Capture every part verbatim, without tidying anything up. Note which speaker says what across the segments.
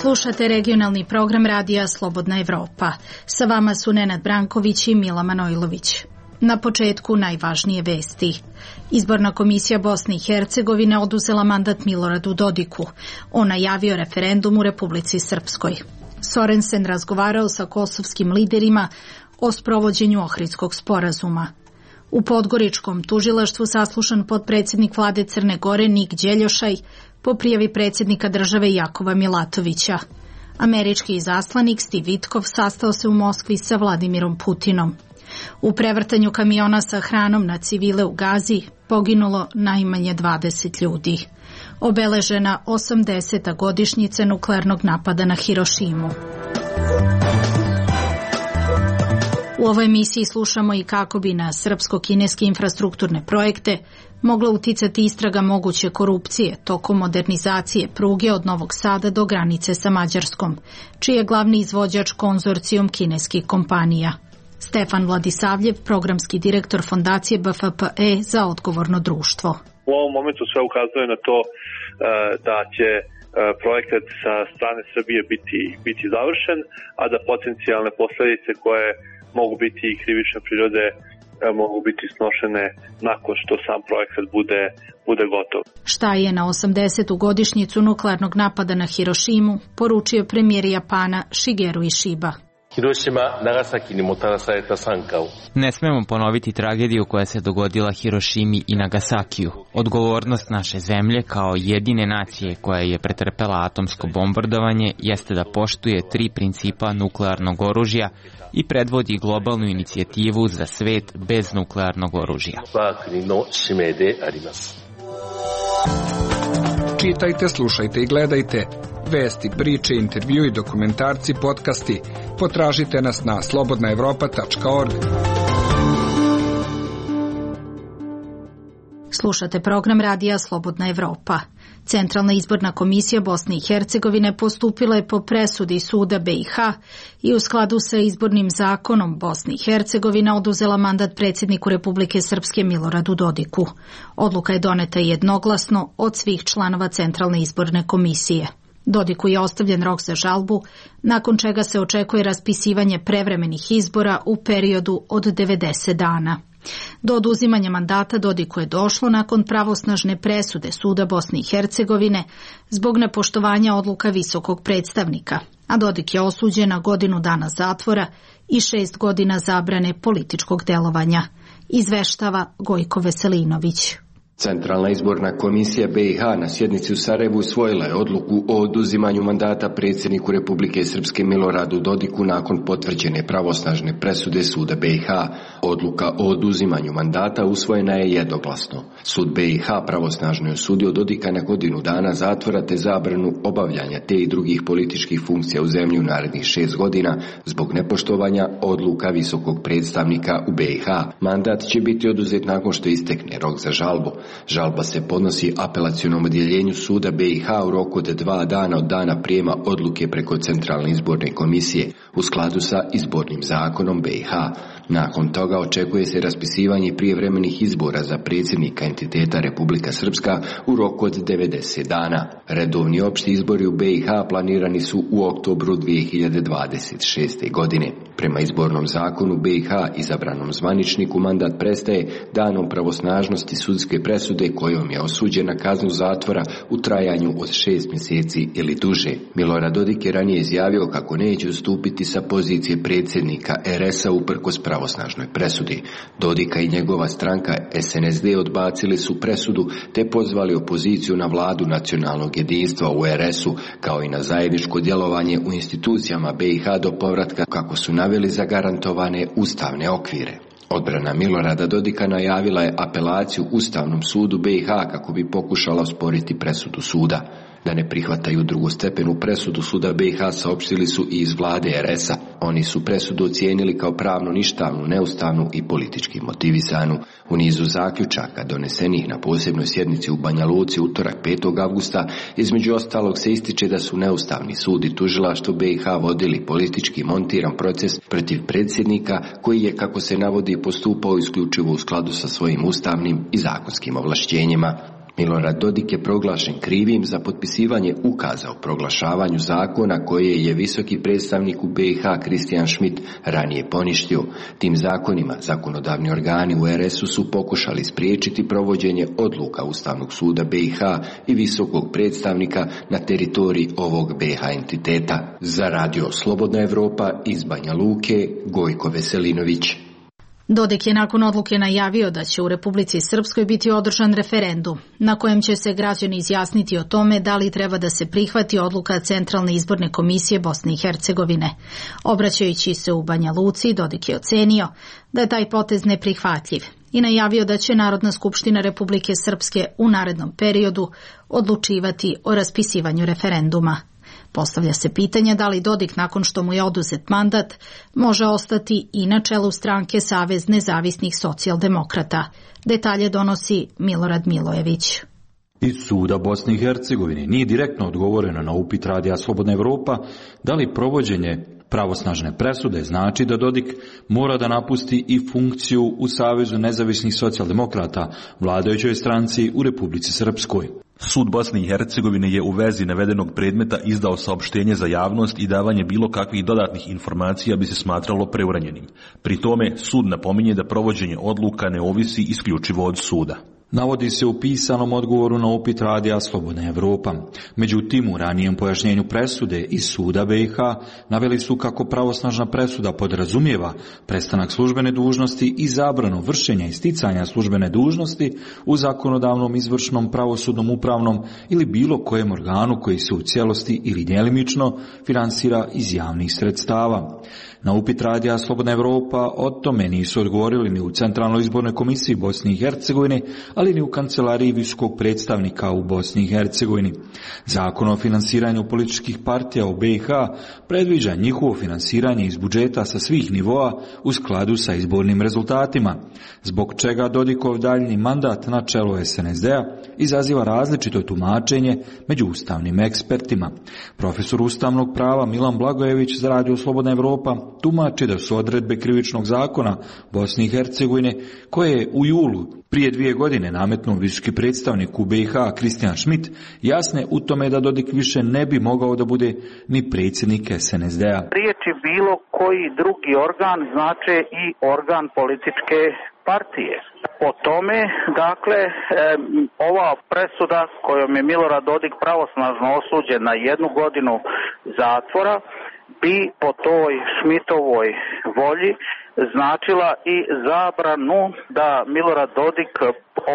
Speaker 1: Slušate regionalni program radija Slobodna Evropa. Sa vama su Nenad Branković i Mila Manojlović. Na početku najvažnije vesti. Izborna komisija Bosne i Hercegovine oduzela mandat Miloradu Dodiku. On najavio referendum u Republici Srpskoj. Sorensen razgovarao sa kosovskim liderima o sprovođenju Ohridskog sporazuma. U Podgoričkom tužilaštvu saslušan potpredsjednik vlade Crne Gore Nik Đeljošaj po prijavi predsjednika države Jakova Milatovića. Američki izaslanik Steve Witkoff sastao se u Moskvi sa Vladimirom Putinom. U prevrtanju kamiona sa hranom na civile u Gazi poginulo najmanje dvadeset ljudi. Obeležena osamdeseta godišnjica nuklearnog napada na Hirošimu. U ovoj emisiji slušamo i kako bi na srpsko-kineske infrastrukturne projekte mogla uticati istraga moguće korupcije tokom modernizacije pruge od Novog Sada do granice sa Mađarskom, čiji je glavni izvođač konzorcijum kineskih kompanija. Stefan Vladisavljev, programski direktor fondacije B F P E za odgovorno društvo.
Speaker 2: U ovom momentu sve ukazuje na to da će projekat sa strane Srbije biti, biti završen, a da potencijalne posljedice koje mogu biti i krivične prirode mogu biti snošene nakon što sam projekat bude, bude gotov.
Speaker 1: Šta je na osamdesetu godišnjicu nuklearnog napada na Hirošimu poručio premijer Japana Shigeru Ishiba.
Speaker 3: Ne smemo ponoviti tragediju koja se dogodila Hirošimi i Nagasakiju. Odgovornost naše zemlje kao jedine nacije koja je pretrpela atomsko bombardovanje jeste da poštuje tri principa nuklearnog oružja i predvodi globalnu inicijativu za svet bez nuklearnog oružja.
Speaker 4: Čitajte, slušajte i gledajte vesti, priče, intervju i dokumentarci, podcasti. Potražite nas na slobodna evropa tačka org.
Speaker 1: Slušate program radija Slobodna Evropa. Centralna izborna komisija Bosne i Hercegovine postupila je po presudi suda B i H i u skladu sa izbornim zakonom Bosne i Hercegovine oduzela mandat predsjedniku Republike Srpske Miloradu Dodiku. Odluka je doneta jednoglasno od svih članova Centralne izborne komisije. Dodiku je ostavljen rok za žalbu, nakon čega se očekuje raspisivanje prevremenih izbora u periodu od devedeset dana. Do oduzimanja mandata Dodiku je došlo nakon pravosnažne presude Suda Bosne i Hercegovine zbog nepoštovanja odluka visokog predstavnika, a Dodik je osuđen na godinu dana zatvora i šest godina zabrane političkog delovanja, izveštava Gojko Veselinović.
Speaker 5: Centralna izborna komisija B i H na sjednici u Sarajevu usvojila je odluku o oduzimanju mandata predsjedniku Republike Srpske Miloradu Dodiku nakon potvrđene pravosnažne presude suda B i H. Odluka o oduzimanju mandata usvojena je jednoglasno. Sud B i H pravosnažno je osudio Dodika na godinu dana zatvora te zabranu obavljanja te i drugih političkih funkcija u zemlji u narednih šest godina zbog nepoštovanja odluka visokog predstavnika u B i H. Mandat će biti oduzet nakon što istekne rok za žalbu. Žalba se podnosi apelacionom odjeljenju suda B i H u roku od dva dana od dana prijema odluke preko Centralne izborne komisije u skladu sa izbornim zakonom B i H. Nakon toga očekuje se raspisivanje prijevremenih izbora za predsjednika entiteta Republika Srpska u roku od devedeset dana. Redovni opšti izbori u B i H planirani su u oktobru dvije hiljade dvadeset šeste. godine. Prema izbornom zakonu B i H izabranom zvaničniku mandat prestaje danom pravosnažnosti sudske presude kojom je osuđen na kaznu zatvora u trajanju od šest mjeseci ili duže. Milorad Dodik je ranije izjavio kako neće ustupiti sa pozicije predsjednika R S a uprkos pravosnažnoj presudi. Dodika i njegova stranka S N S D odbacili su presudu te pozvali opoziciju na vladu nacionalnog jedinstva u R S u kao i na zajedničko djelovanje u institucijama B i H do povratka kako su naveli zagarantovane ustavne okvire. Odbrana Milorada Dodika najavila je apelaciju Ustavnom sudu B i H kako bi pokušala osporiti presudu suda. Da ne prihvataju drugostepenu presudu suda B i H saopštili su i iz vlade R S a. Oni su presudu ocijenili kao pravno ništavnu, neustavnu i politički motivisanu. U nizu zaključaka donesenih na posebnoj sjednici u Banja Luci utorak petog avgusta između ostalog se ističe da su neustavni sud i tužilaštvo B i H vodili politički montiran proces protiv predsjednika koji je, kako se navodi, postupao isključivo u skladu sa svojim ustavnim i zakonskim ovlašćenjima. Milorad Dodik je proglašen krivim za potpisivanje ukaza o proglašavanju zakona koje je visoki predstavnik u B i H Christian Schmidt ranije poništio. Tim zakonima zakonodavni organi u R S-u su pokušali spriječiti provođenje odluka Ustavnog suda B i H i visokog predstavnika na teritoriji ovog B i H entiteta. Za radio Slobodna Evropa iz Banja Luke, Gojko Veselinović.
Speaker 1: Dodik je nakon odluke najavio da će u Republici Srpskoj biti održan referendum, na kojem će se građani izjasniti o tome da li treba da se prihvati odluka Centralne izborne komisije Bosne i Hercegovine. Obraćajući se u Banja Luci, Dodik je ocenio da je taj potez neprihvatljiv i najavio da će Narodna skupština Republike Srpske u narednom periodu odlučivati o raspisivanju referenduma. Postavlja se pitanje da li Dodik, nakon što mu je oduzet mandat, može ostati i na čelu stranke Savez nezavisnih socijaldemokrata. Detalje donosi Milorad Milojević.
Speaker 6: Iz suda Bosne i Hercegovine nije direktno odgovoreno na upit radija Slobodna Evropa da li provođenje pravosnažne presude znači da Dodik mora da napusti i funkciju u Savezu nezavisnih socijaldemokrata, vladajućoj stranci u Republici Srpskoj.
Speaker 7: Sud Bosne i Hercegovine je u vezi navedenog predmeta izdao saopštenje za javnost i davanje bilo kakvih dodatnih informacija bi se smatralo preuranjenim. Pri tome sud napominje da provođenje odluka ne ovisi isključivo od suda.
Speaker 6: Navodi se u pisanom odgovoru na upit radija Slobodna Evropa. Međutim, u ranijem pojašnjenju presude iz suda B i H naveli su kako pravosnažna presuda podrazumijeva prestanak službene dužnosti i zabranu vršenja i sticanja službene dužnosti u zakonodavnom, izvršnom, pravosudnom, upravnom ili bilo kojem organu koji se u cijelosti ili djelimično finansira iz javnih sredstava. Na upit radija Slobodna Evropa o tome nisu odgovorili ni u Centralnoj izbornoj komisiji Bosne i Hercegovine, ali ni u kancelariji visokog predstavnika u Bosni i Hercegovini. Zakon o finansiranju političkih partija u B i H predviđa njihovo finansiranje iz budžeta sa svih nivoa u skladu sa izbornim rezultatima, zbog čega Dodikov daljnji mandat na čelu S N S D-a izaziva različito tumačenje među ustavnim ekspertima. Profesor ustavnog prava Milan Blagojević za radio Slobodna Evropa tumači da su odredbe krivičnog zakona Bosne i Hercegovine, koje je u julu prije dvije godine nametnuo visoki predstavnik u B i H Christian Schmidt, jasne u tome da Dodik više ne bi mogao da bude ni predsjednik S N S D-a.
Speaker 8: Riječi bilo koji drugi organ znače i organ političke partije. Po tome, dakle, e, ova presuda kojom je Milorad Dodik pravosnažno osuđen na jednu godinu zatvora bi po toj Schmidtovoj volji značila i zabranu da Milorad Dodik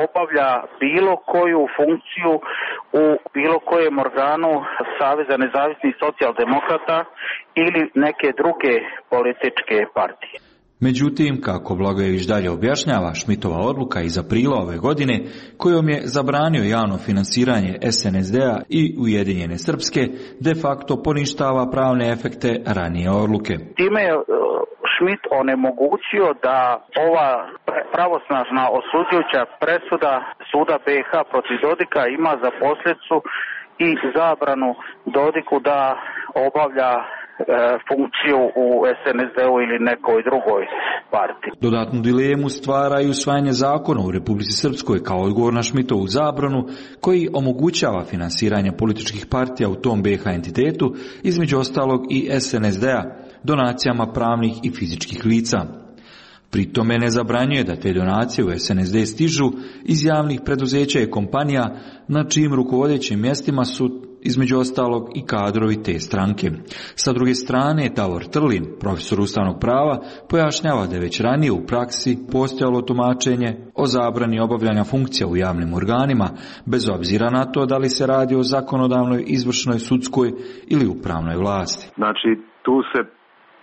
Speaker 8: obavlja bilo koju funkciju u bilo kojem organu Saveza nezavisnih socijaldemokrata ili neke druge političke partije.
Speaker 6: Međutim, kako Blagojević dalje objašnjava, Schmidtova odluka iz aprila ove godine, kojom je zabranio javno finansiranje S N S D-a i Ujedinjene Srpske, de facto poništava pravne efekte ranije odluke.
Speaker 8: Time je Schmidt onemogućio da ova pravosnažna osuđujuća presuda suda B i H protiv Dodika ima za posljedicu i zabranu Dodiku da obavlja funkciju u S N S D-u ili nekoj drugoj partiji.
Speaker 6: Dodatnu dilemu stvara i usvajanje zakona u Republici Srpskoj kao odgovor na Schmidtovu zabranu, koji omogućava finansiranje političkih partija u tom B i H entitetu, između ostalog i S N S D-a, donacijama pravnih i fizičkih lica. Pri tome ne zabranjuje da te donacije u S N S D stižu iz javnih preduzeća i kompanija na čijim rukovodećim mjestima su između ostalog i kadrovi te stranke. Sa druge strane, Davor Trlin, profesor ustavnog prava, pojašnjava da je već ranije u praksi postojalo tumačenje o zabrani obavljanja funkcija u javnim organima, bez obzira na to da li se radi o zakonodavnoj, izvršnoj, sudskoj ili upravnoj vlasti.
Speaker 9: Znači, tu se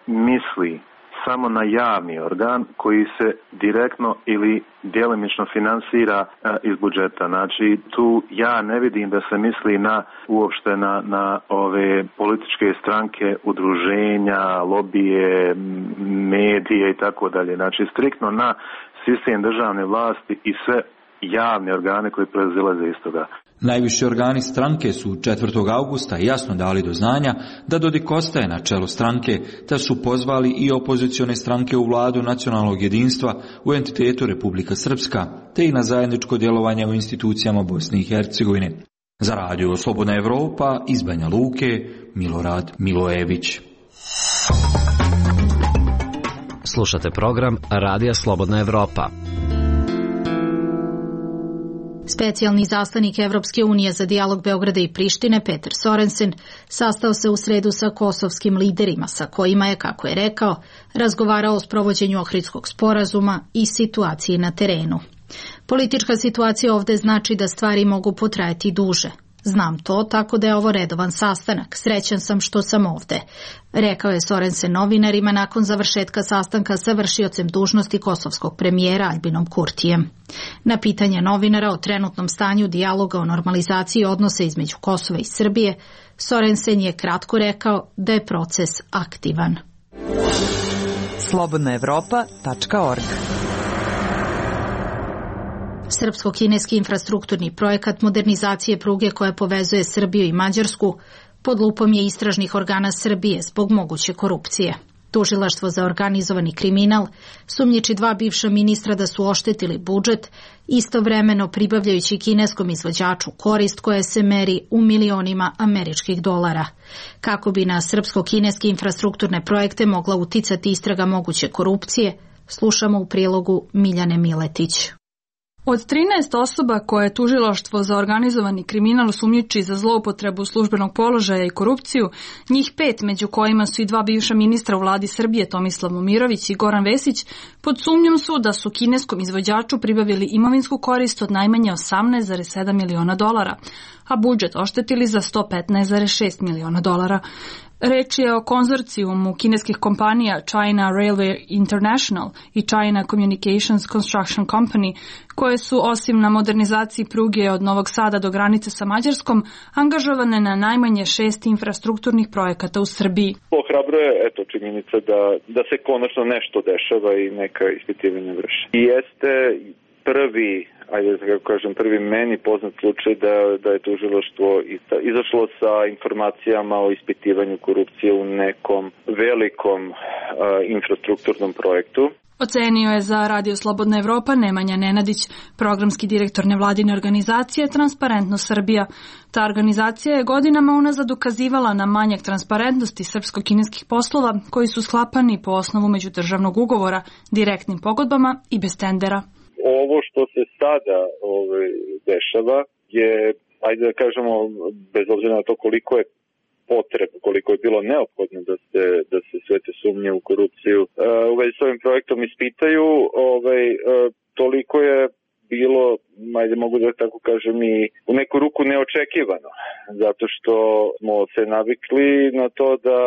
Speaker 9: misli samo na javni organ koji se direktno ili djelomično finansira iz budžeta. Znači, tu ja ne vidim da se misli na uopšte na, na ove političke stranke, udruženja, lobije, medije i tako dalje. Znači, striktno na sistem državne vlasti i sve javne organe koji proizilaze iz toga.
Speaker 6: Najviši organi stranke su četvrtog avgusta jasno dali do znanja da Dodik ostaje na čelu stranke, te su pozvali i opozicione stranke u vladu nacionalnog jedinstva u entitetu Republika Srpska, te i na zajedničko djelovanje u institucijama Bosne i Hercegovine. Za Radio Slobodna Evropa iz Banja Luke, Milorad Milojević.
Speaker 10: Slušate program Radija Slobodna Evropa.
Speaker 1: Specijalni izaslanik Evropske unije za dijalog Beograda i Prištine, Peter Sorensen, sastao se u sredu sa kosovskim liderima, sa kojima je, kako je rekao, razgovarao o sprovođenju Ohridskog sporazuma i situaciji na terenu. Politička situacija ovde znači da stvari mogu potrajati duže. Znam to, tako da je ovo redovan sastanak. Srećan sam što sam ovde, rekao je Sorensen novinarima nakon završetka sastanka sa vršiocem dužnosti kosovskog premijera Albinom Kurtijem. Na pitanje novinara o trenutnom stanju dijaloga o normalizaciji odnosa između Kosova i Srbije, Sorensen je kratko rekao da je proces aktivan.
Speaker 11: slobodna evropa tačka org
Speaker 1: Srpsko-kineski infrastrukturni projekat modernizacije pruge koja povezuje Srbiju i Mađarsku pod lupom je istražnih organa Srbije zbog moguće korupcije. Tužilaštvo za organizovani kriminal sumnjiči dva bivša ministra da su oštetili budžet, istovremeno pribavljajući kineskom izvođaču korist koja se meri u milionima američkih dolara. Kako bi na srpsko-kineske infrastrukturne projekte mogla uticati istraga moguće korupcije, slušamo u prilogu Miljane Miletić.
Speaker 12: Od trinaest osoba koje je tužilaštvo za organizovani kriminal sumnjiči za zloupotrebu službenog položaja i korupciju, njih pet, među kojima su i dva bivša ministra u vladi Srbije, Tomislav Momirović i Goran Vesić, pod sumnjom su da su kineskom izvođaču pribavili imovinsku korist od najmanje osamnaest zarez sedam miliona dolara, a budžet oštetili za sto petnaest zarez šest miliona dolara. Reč je o konzorcijumu kineskih kompanija China Railway International i China Communications Construction Company, koje su osim na modernizaciji pruge od Novog Sada do granice sa Mađarskom angažovane na najmanje šest infrastrukturnih projekata u Srbiji.
Speaker 13: Ohrabruje eto činjenica da, da se konačno nešto dešava i neka ispitivanja vrši. I jeste prvi, ajde da kako kažem, prvi meni poznat slučaj da, da je tužilaštvo izašlo sa informacijama o ispitivanju korupcije u nekom velikom uh, infrastrukturnom projektu.
Speaker 12: Ocenio je za Radio Slobodna Evropa Nemanja Nenadić, programski direktor nevladine organizacije Transparentnost Srbija. Ta organizacija je godinama unazad ukazivala na manjak transparentnosti srpsko-kineskih poslova koji su sklapani po osnovu međudržavnog ugovora, direktnim pogodbama i bez tendera.
Speaker 13: Ovo što se sada ovaj, dešava je, ajde da kažemo, bez obzira na to koliko je potreb, koliko je bilo neophodno da se, da se sve te sumnje u korupciju uh, u vezi s ovim projektom ispitaju, ovaj, uh, toliko je bilo, ajde mogu da tako kažem, i u neku ruku neočekivano, zato što smo se navikli na to da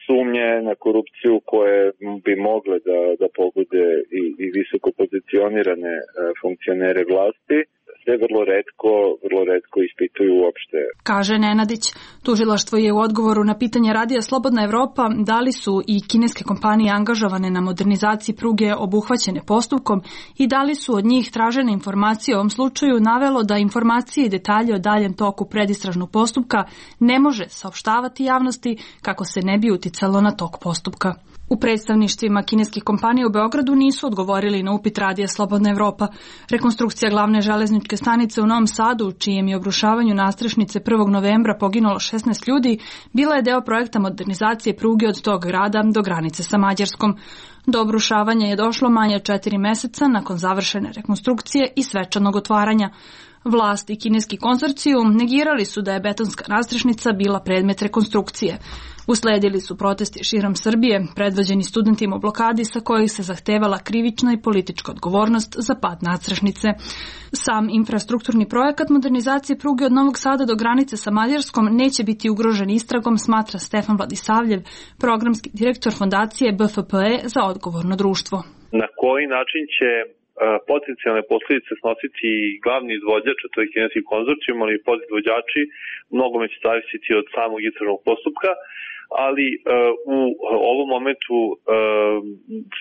Speaker 13: sumnje na korupciju koje bi mogle da, da pogode i, i visoko pozicionirane uh, funkcionere vlasti, sve vrlo retko, vrlo retko ispituju uopšte.
Speaker 12: Kaže Nenadić, tužilaštvo je u odgovoru na pitanje Radija Slobodna Evropa da li su i kineske kompanije angažovane na modernizaciji pruge obuhvaćene postupkom i da li su od njih tražene informacije o ovom slučaju navelo da informacije i detalje o daljem toku predistražnog postupka ne može saopštavati javnosti kako se ne bi uticalo na tok postupka. U predstavništvima kineskih kompanija u Beogradu nisu odgovorili na upit Radija Slobodna Evropa. Rekonstrukcija glavne železničke stanice u Novom Sadu, u čijem je obrušavanju nastrešnice prvog novembra poginulo šesnaest ljudi, bila je deo projekta modernizacije pruge od tog grada do granice sa Mađarskom. Do obrušavanja je došlo manje od četiri meseca nakon završene rekonstrukcije i svečanog otvaranja. Vlast i kineski konzorcijum negirali su da je betonska nastrešnica bila predmet rekonstrukcije. Usledili su protesti širom Srbije, predvođeni studentima u blokadi sa kojih se zahtevala krivična i politička odgovornost za pad nastrešnice. Sam infrastrukturni projekat modernizacije pruge od Novog Sada do granice sa Mađarskom neće biti ugrožen istragom, smatra Stefan Vladisavljev, programski direktor fondacije B F P E za odgovorno društvo.
Speaker 2: Na koji način će potencijalne posljedice snositi glavni izvođač, a to je kineski konzorcijum, ali i podizvođači, mnogo će zavisiti od samog istražnog postupka, ali uh, u ovom momentu uh,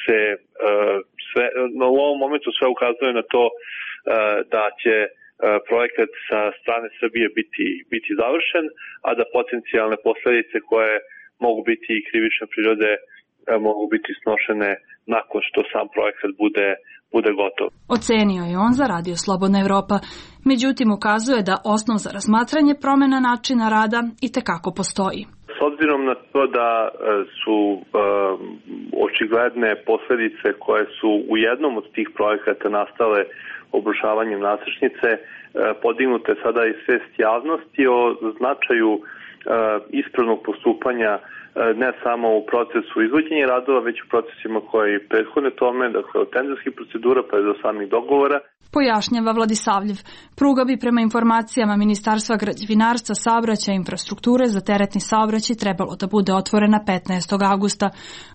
Speaker 2: se uh, sve, no, u ovom momentu sve ukazuje na to uh, da će uh, projekat sa strane Srbije biti, biti završen, a da potencijalne posledice koje mogu biti i krivične prirode mogu biti snošene nakon što sam projekat bude, bude gotov.
Speaker 12: Ocenio je on za Radio Slobodna Evropa. Međutim, ukazuje da osnov za razmatranje promena načina rada itekako postoji.
Speaker 2: S obzirom na to da su um, očigledne posledice koje su u jednom od tih projekata nastale obrušavanjem nadstrešnice, podignute sada i svest javnosti o značaju uh, ispravnog postupanja ne samo u procesu izvođenja radova, već u procesima koji prethodne tome, dakle od tenderskih procedura pa do samih dogovora.
Speaker 12: Pojašnjava Vladisavljev. Pruga bi prema informacijama Ministarstva građevinarstva, saobraćaja i infrastrukture za teretni saobraćaj trebalo da bude otvorena petnaestog avgusta,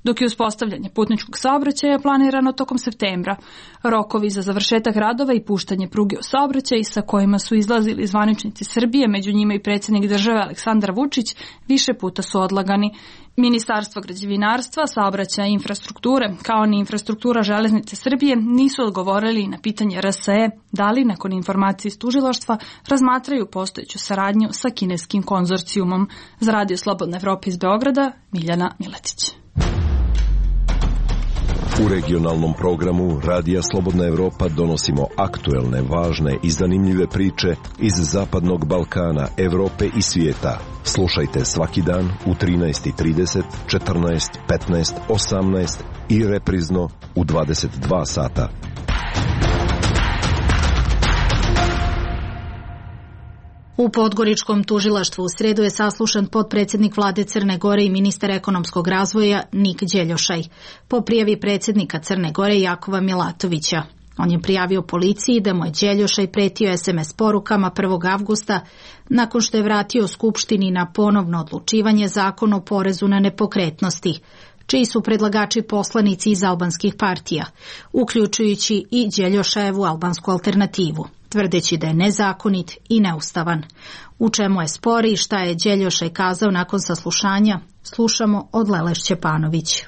Speaker 12: dok je uspostavljanje putničkog saobraćaja planirano tokom septembra. Rokovi za završetak radova i puštanje pruge u saobraćaj sa kojima su izlazili zvaničnici Srbije, među njima i predsjednik države Aleksandar Vučić, više puta su odlagani. Ministarstvo građevinarstva, saobraćaja i infrastrukture, kao ni infrastruktura železnice Srbije, nisu odgovorili na pitanje R S E da li, nakon informacije iz tužilaštva, razmatraju postojeću saradnju sa kineskim konzorcijumom. Za Radio Slobodna Evropa iz Beograda, Miljana Miletić.
Speaker 14: U regionalnom programu Radija Slobodna Evropa donosimo aktuelne, važne i zanimljive priče iz Zapadnog Balkana, Evrope i svijeta. Slušajte svaki dan u trinaest i trideset, četrnaest, petnaest, osamnaest i reprizno u dvadeset dva sata.
Speaker 1: U Podgoričkom tužilaštvu u sredu je saslušan potpredsjednik vlade Crne Gore i ministar ekonomskog razvoja Nik Đeljošaj po prijavi predsjednika Crne Gore Jakova Milatovića. On je prijavio policiji da mu je Đeljošaj pretio es em es porukama prvog avgusta nakon što je vratio Skupštini na ponovno odlučivanje Zakon o porezu na nepokretnosti, čiji su predlagači poslanici iz albanskih partija, uključujući i Đeljošajevu albansku alternativu, tvrdeći da je nezakonit i neustavan. U čemu je spor i šta je Đeljošaj kazao nakon saslušanja, slušamo od Lele Šćepanović.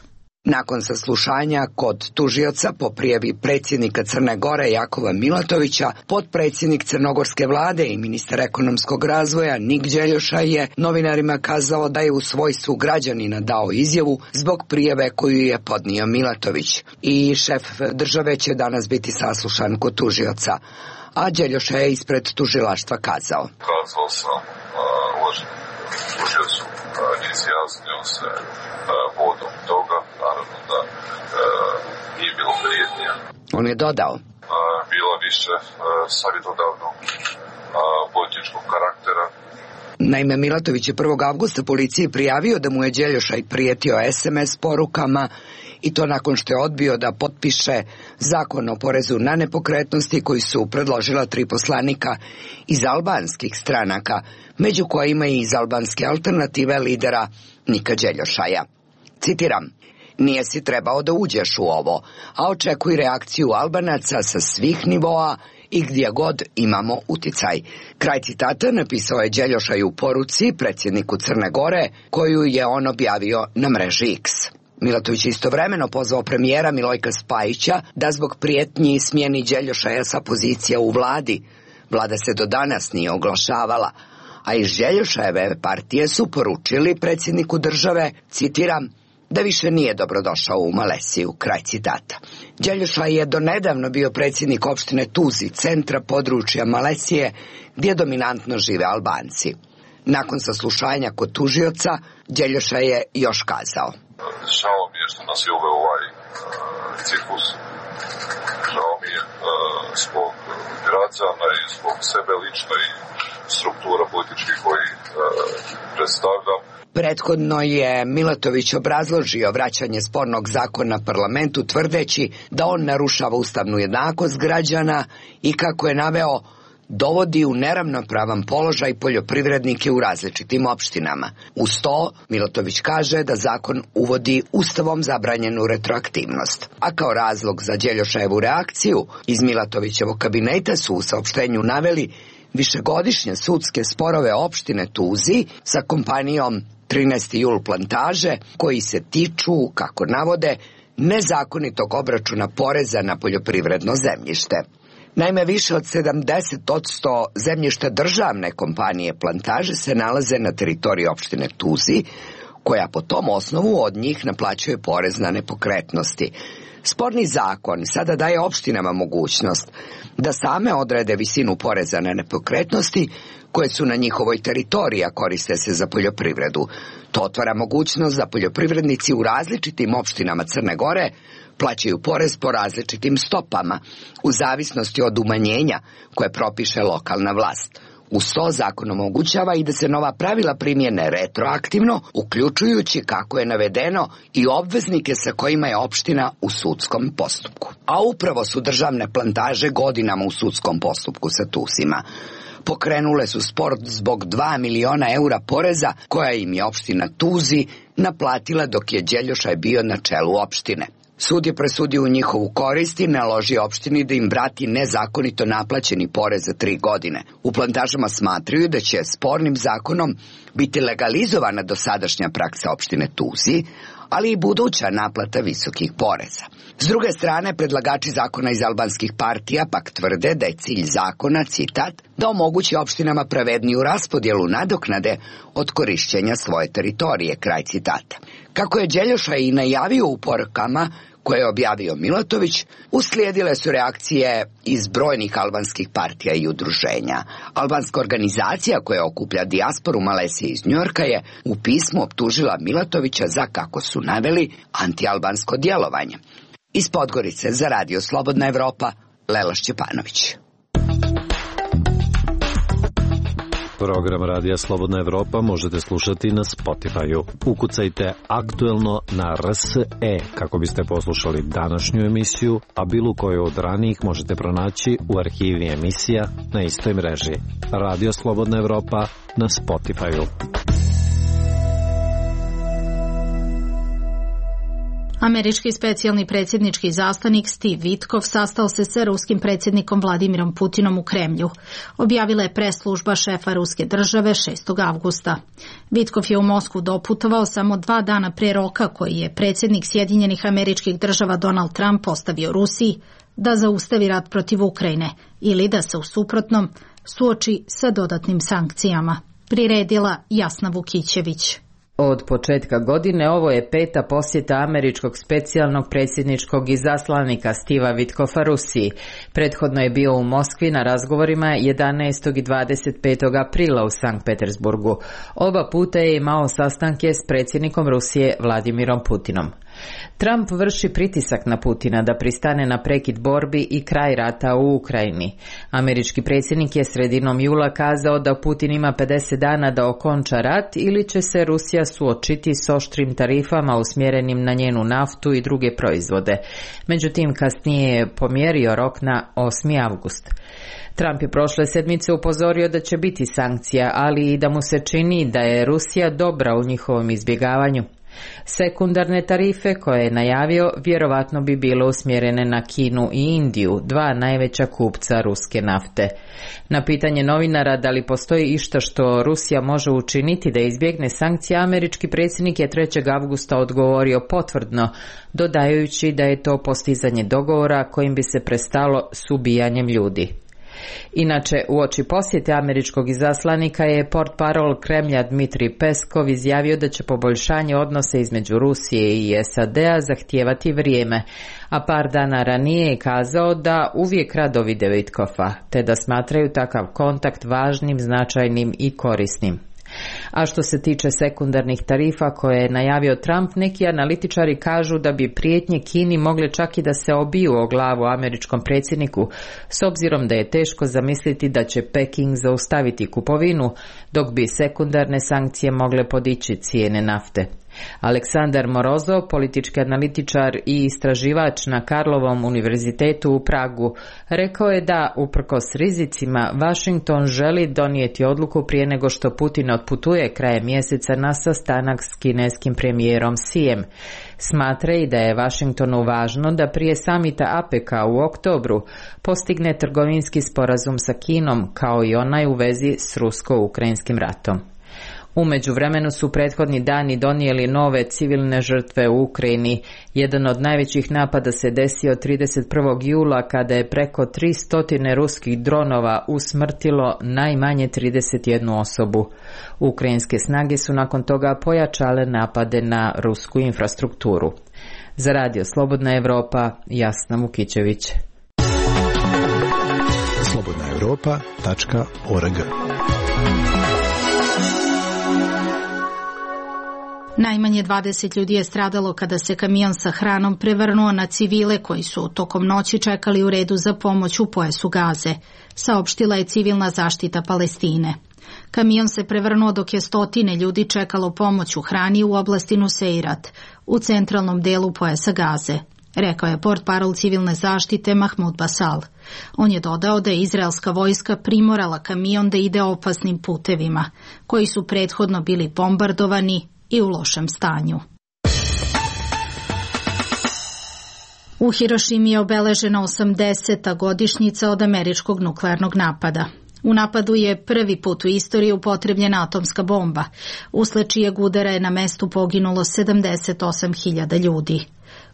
Speaker 15: Nakon saslušanja kod tužioca po prijavi predsjednika Crne Gore Jakova Milatovića, potpredsjednik crnogorske vlade i ministar ekonomskog razvoja Nik Đeljošaj je novinarima kazao da je u svojstvu građanina dao izjavu zbog prijave koju je podnio Milatović. I šef države će danas biti saslušan kod tužioca. A Đeljošaj je ispred tužilaštva kazao.
Speaker 16: Kazao sam uvaženom tužiocu, izjasnio se vodom toga, naravno da e, nije bilo prijetnija.
Speaker 15: On je dodao. E,
Speaker 16: bilo više e, savjetodavnog e, političkog karaktera.
Speaker 15: Naime, Milatović je prvog avgusta policiji prijavio da mu je Đeljošaj prijetio es em es porukama i to nakon što je odbio da potpiše zakon o porezu na nepokretnosti koji su predložila tri poslanika iz albanskih stranaka, među kojima i iz albanske alternative lidera Nika Đeljošaja. Citiram, nije si trebao da uđeš u ovo, a očekuj reakciju Albanaca sa svih nivoa i gdje god imamo uticaj. Kraj citata napisao je Đeljošaj u poruci predsjedniku Crne Gore, koju je on objavio na mreži X. Milatović je istovremeno pozvao premijera Milojka Spajića da zbog prijetnji smjeni Đeljošaja sa pozicija u vladi. Vlada se do danas nije oglašavala, a iz Đeljošajeve partije su poručili predsjedniku države, citiram, da više nije dobrodošao u Malesiju, kraj citata. Đeljošaj je donedavno bio predsjednik opštine Tuzi, centra područja Malesije, gdje dominantno žive Albanci. Nakon saslušanja kod tužioca, Đeljošaj je još kazao.
Speaker 16: Žao mi je što nas je uveo ovaj uh, ciklus. Žao mi je uh, zbog građana i zbog sebe lično i struktura političkih koji uh, predstavljam.
Speaker 15: Prethodno je Milatović obrazložio vraćanje spornog zakona parlamentu tvrdeći da on narušava ustavnu jednakost građana i kako je naveo dovodi u neravnopravan položaj poljoprivrednike u različitim opštinama. Uz to, Milatović kaže da zakon uvodi ustavom zabranjenu retroaktivnost. A kao razlog za Đeljošajevu reakciju, iz Milatovićevog kabineta su u saopštenju naveli višegodišnje sudske sporove opštine Tuzi sa kompanijom trinaesti jul plantaže, koji se tiču, kako navode, nezakonitog obračuna poreza na poljoprivredno zemljište. Naime, više od sedamdeset posto zemljišta državne kompanije Plantaže se nalaze na teritoriji opštine Tuzi, koja po tom osnovu od njih naplaćuje porez na nepokretnosti. Sporni zakon sada daje opštinama mogućnost da same odrede visinu poreza na nepokretnosti koje su na njihovoj teritoriji, a koriste se za poljoprivredu. To otvara mogućnost da poljoprivrednici u različitim opštinama Crne Gore plaćaju porez po različitim stopama, u zavisnosti od umanjenja koje propiše lokalna vlast. Uz to zakon omogućava i da se nova pravila primjene retroaktivno, uključujući, kako je navedeno, i obveznike sa kojima je opština u sudskom postupku. A upravo su državne Plantaže godinama u sudskom postupku sa Tusima. Pokrenule su spor zbog dva miliona eura poreza koja im je opština Tuzi naplatila dok je Đeljošaj bio na čelu opštine. Sud je presudio u njihovu korist i naložio opštini da im vrati nezakonito naplaćeni porez za tri godine. U Plantažama smatraju da će spornim zakonom biti legalizovana dosadašnja praksa opštine Tuzi, ali i buduća naplata visokih poreza. S druge strane, predlagači zakona iz albanskih partija pak tvrde da je cilj zakona, citat, da omogući opštinama pravedniju raspodjelu nadoknade od korišćenja svoje teritorije, kraj citata. Kako je Đeljošaj i najavio u porukama koje je objavio Milatović, uslijedile su reakcije iz brojnih albanskih partija i udruženja. Albanska organizacija koja okuplja dijasporu Malezije iz Njujorka je u pismu optužila Milatovića za, kako su naveli, antialbansko djelovanje. Iz Podgorice za Radio Slobodna Evropa, Lela Šćepanović.
Speaker 10: Program Radija Slobodna Evropa možete slušati na Spotify-u. Ukucajte aktuelno na R S E kako biste poslušali današnju emisiju, a bilo koju od ranijih možete pronaći u arhivi emisija na istoj mreži. Radio Slobodna Evropa na Spotify-u.
Speaker 1: Američki specijalni predsjednički izaslanik Steve Vitkov sastao se sa ruskim predsjednikom Vladimirom Putinom u Kremlju. Objavila je pres služba šefa ruske države šestog avgusta. Vitkov je u Moskvu doputovao samo dva dana pre roka koji je predsjednik Sjedinjenih Američkih Država Donald Trump postavio Rusiji da zaustavi rat protiv Ukrajine ili da se u suprotnom suoči sa dodatnim sankcijama. Priredila Jasna Vukićević.
Speaker 17: Od početka godine ovo je peta posjeta američkog specijalnog predsjedničkog izaslanika Stiva Vitkova Rusiji. Prethodno je bio u Moskvi na razgovorima jedanaestog i dvadeset petog aprila u Sankt Petersburgu. Oba puta je imao sastanke s predsjednikom Rusije Vladimirom Putinom. Trump vrši pritisak na Putina da pristane na prekid borbi i kraj rata u Ukrajini. Američki predsjednik je sredinom jula kazao da Putin ima pedeset dana da okonča rat ili će se Rusija suočiti s oštrim tarifama usmjerenim na njenu naftu i druge proizvode. Međutim, kasnije je pomjerio rok na osmi avgust. Trump je prošle sedmice upozorio da će biti sankcija, ali i da mu se čini da je Rusija dobra u njihovom izbjegavanju. Sekundarne tarife koje je najavio vjerovatno bi bile usmjerene na Kinu i Indiju, dva najveća kupca ruske nafte. Na pitanje novinara da li postoji išta što Rusija može učiniti da izbjegne sankcije, američki predsjednik je trećeg avgusta odgovorio potvrdno, dodajući da je to postizanje dogovora kojim bi se prestalo s ubijanjem ljudi. Inače, uoči posjete američkog izaslanika je portparol Kremlja Dmitrij Peskov izjavio da će poboljšanje odnose između Rusije i S A D-a zahtijevati vrijeme, a par dana ranije je kazao da uvijek rado vide Vitkova, te da smatraju takav kontakt važnim, značajnim i korisnim. A što se tiče sekundarnih tarifa koje je najavio Trump, neki analitičari kažu da bi prijetnje Kini mogle čak i da se obiju o glavu američkom predsjedniku, s obzirom da je teško zamisliti da će Peking zaustaviti kupovinu, dok bi sekundarne sankcije mogle podići cijene nafte. Aleksandar Morozov, politički analitičar i istraživač na Karlovom univerzitetu u Pragu, rekao je da, uprkos rizicima, Washington želi donijeti odluku prije nego što Putin otputuje krajem mjeseca na sastanak s kineskim premijerom Xijem. Smatra i da je Washingtonu važno da prije samita A P E C-a u oktobru postigne trgovinski sporazum sa Kinom, kao i onaj u vezi s rusko-ukrajinskim ratom. U međuvremenu su prethodni dani donijeli nove civilne žrtve u Ukrajini. Jedan od najvećih napada se desio trideset prvog jula kada je preko tristo ruskih dronova usmrtilo najmanje trideset jednu osobu. Ukrajinske snage su nakon toga pojačale napade na rusku infrastrukturu. Za Radio Slobodna Evropa, Jasna Mukićević.
Speaker 18: slobodna evropa tačka org.
Speaker 1: Najmanje dvadeset ljudi je stradalo kada se kamion sa hranom prevrnuo na civile koji su tokom noći čekali u redu za pomoć u pojasu Gaze, saopštila je civilna zaštita Palestine. Kamion se prevrnuo dok je stotine ljudi čekalo pomoć u hrani u oblasti Nuseirat, u centralnom delu pojasa Gaze, rekao je portparol civilne zaštite Mahmud Basal. On je dodao da je izraelska vojska primorala kamion da ide opasnim putevima, koji su prethodno bili bombardovani i u lošem stanju. U Hirošimi je obeležena osamdeseta godišnjica od američkog nuklearnog napada. U napadu je prvi put u istoriji upotrebljena atomska bomba, usled čijeg udara je na mestu poginulo sedamdeset osam hiljada ljudi.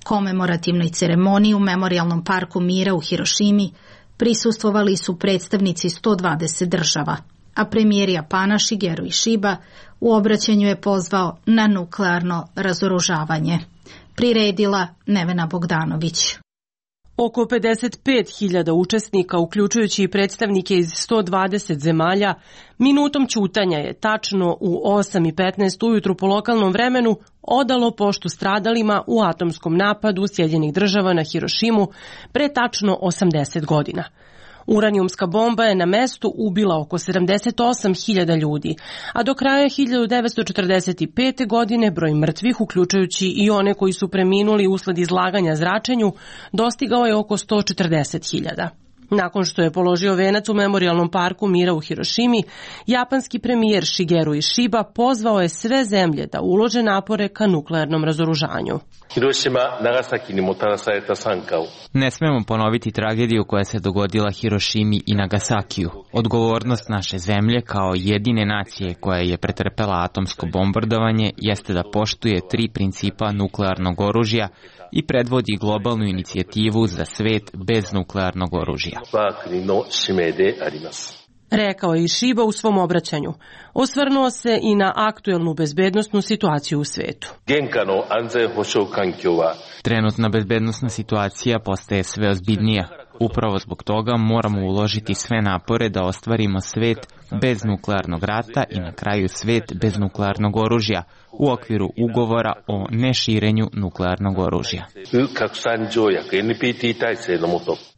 Speaker 1: Komemorativnoj ceremoniji u Memorijalnom parku mira u Hirošimi prisustvovali su predstavnici sto dvadeset država, a premijer Japana Shigeru Ishiba u obraćanju je pozvao na nuklearno razoružavanje. Priredila Nevena Bogdanović.
Speaker 19: Oko pedeset pet hiljada učesnika, uključujući i predstavnike iz sto dvadeset zemalja, minutom ćutanja je tačno u osam i petnaest ujutru po lokalnom vremenu odalo poštu stradalima u atomskom napadu Sjedinjenih Država na Hirošimu pre tačno osamdeset godina. Uranijumska bomba je na mestu ubila oko sedamdeset osam hiljada ljudi, a do kraja hiljadu devetsto četrdeset pete. godine broj mrtvih, uključujući i one koji su preminuli usled izlaganja zračenju, dostigao je oko sto četrdeset hiljada. Nakon što je položio venac u Memorijalnom parku mira u Hirošimi, japanski premijer Shigeru Ishiba pozvao je sve zemlje da ulože napore ka nuklearnom razoružanju.
Speaker 3: Ne smemo ponoviti tragediju koja se dogodila Hirošimi i Nagasakiju. Odgovornost naše zemlje kao jedine nacije koja je pretrpela atomsko bombardovanje jeste da poštuje tri principa nuklearnog oružja i predvodi globalnu inicijativu za svet bez nuklearnog oružja.
Speaker 19: Rekao je Ishiba u svom obraćanju. Osvrnuo se i na aktuelnu bezbednosnu situaciju u svetu.
Speaker 3: Trenutna bezbednosna situacija postaje sve ozbiljnija. Upravo zbog toga moramo uložiti sve napore da ostvarimo svet bez nuklearnog rata i na kraju svet bez nuklearnog oružja u okviru ugovora o neširenju nuklearnog oružja.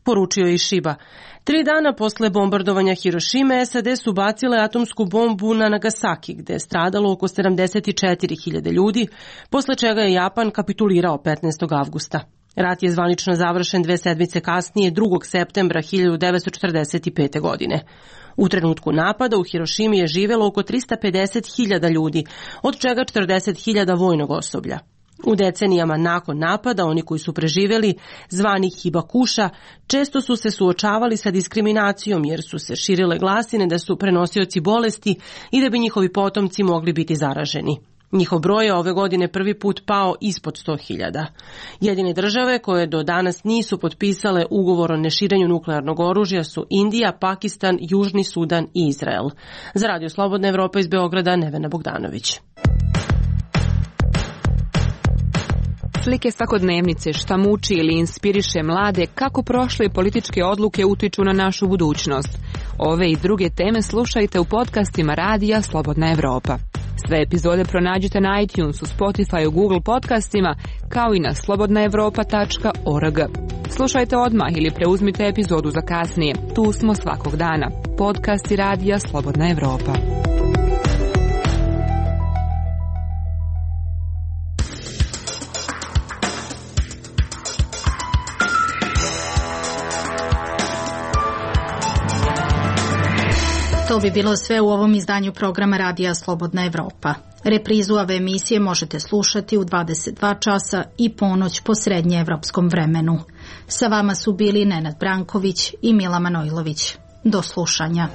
Speaker 19: Poručio je Ishiba. Tri dana posle bombardovanja Hirošime, S A D su bacile atomsku bombu na Nagasaki, gde je stradalo oko sedamdeset četiri hiljade ljudi, posle čega je Japan kapitulirao petnaestog avgusta. Rat je zvanično završen dve sedmice kasnije, drugog septembra hiljadu devetsto četrdeset pete. godine. U trenutku napada u Hirošimi je živelo oko trista pedeset hiljada ljudi, od čega četrdeset hiljada vojnog osoblja. U decenijama nakon napada, oni koji su preživeli, zvani hibakuša, često su se suočavali sa diskriminacijom jer su se širile glasine da su prenosioci bolesti i da bi njihovi potomci mogli biti zaraženi. Njihov broj je ove godine prvi put pao ispod sto hiljada. Jedine države koje do danas nisu potpisale ugovor o neširenju nuklearnog oružja su Indija, Pakistan, Južni Sudan i Izrael. Za Radio Slobodna Evropa iz Beograda, Nevena Bogdanović.
Speaker 11: Slike svakodnevnice, šta muči ili inspiriše mlade, kako prošle političke odluke utiču na našu budućnost. Ove i druge teme slušajte u podcastima Radija Slobodna Evropa. Sve epizode pronađite na iTunesu, Spotify, Google podcastima, kao i na slobodna evropa tačka org. Slušajte odmah ili preuzmite epizodu za kasnije. Tu smo svakog dana. Podcasti Radija Slobodna Evropa.
Speaker 1: To bi bilo sve u ovom izdanju programa Radija Slobodna Evropa. Reprizu ove emisije možete slušati u dvadeset dva časa i ponoć po srednjeevropskom vremenu. Sa vama su bili Nenad Branković i Mila Manojlović. Do slušanja.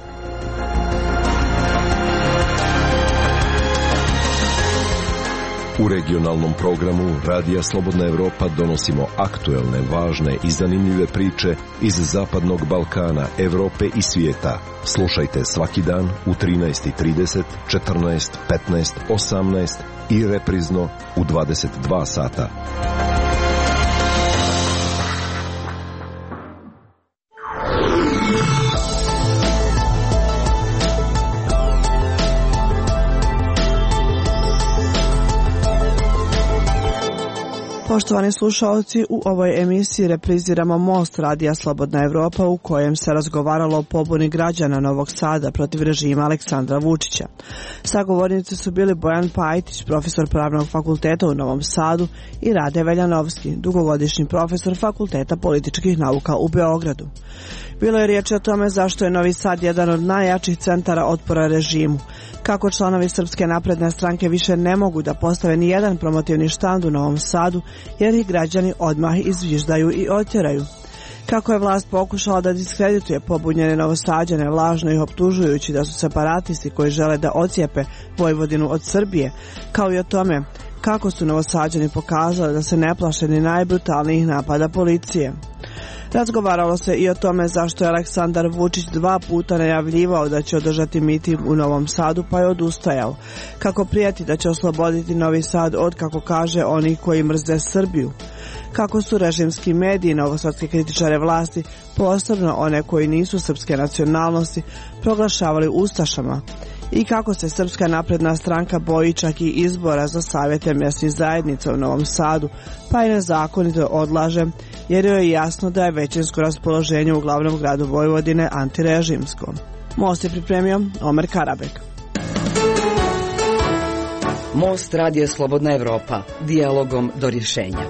Speaker 14: U regionalnom programu Radija Slobodna Evropa donosimo aktuelne, važne i zanimljive priče iz Zapadnog Balkana, Evrope i svijeta. Slušajte svaki dan u trinaest i trideset, četrnaest, petnaest, osamnaest i reprizno u dvadeset dva sata.
Speaker 20: Poštovani slušalci, u ovoj emisiji repriziramo Most Radija Slobodna Evropa u kojem se razgovaralo o pobuni građana Novog Sada protiv režima Aleksandra Vučića. Sagovornici su bili Bojan Pajtić, profesor Pravnog fakulteta u Novom Sadu, i Rade Veljanovski, dugogodišnji profesor Fakulteta političkih nauka u Beogradu. Bilo je riječi o tome zašto je Novi Sad jedan od najjačih centara otpora režimu, kako članovi Srpske napredne stranke više ne mogu da postave ni jedan promotivni štand u Novom Sadu, jer ih građani odmah izviždaju i otjeraju. Kako je vlast pokušala da diskredituje pobunjene Novosađane, lažno ih optužujući da su separatisti koji žele da ocijepe Vojvodinu od Srbije, kao i o tome kako su Novosađani pokazali da se ne plaše ni najbrutalnijih napada policije. Razgovaralo se i o tome zašto je Aleksandar Vučić dva puta najavljivao da će održati miting u Novom Sadu, pa je odustajao. Kako prijeti da će osloboditi Novi Sad od, kako kaže, onih koji mrze Srbiju. Kako su režimski mediji novosadske kritičare vlasti, posebno one koji nisu srpske nacionalnosti, proglašavali ustašama. I kako se Srpska napredna stranka boji čak i izbora za savjete mjesnih zajednica u Novom Sadu, pa i nezakonito odlaže, jer joj je jasno da je većinsko raspoloženje u glavnom gradu Vojvodine antirežimsko. Most je pripremio Omer Karabek.
Speaker 15: Most Radija Slobodna Evropa, dijalogom do rješenja.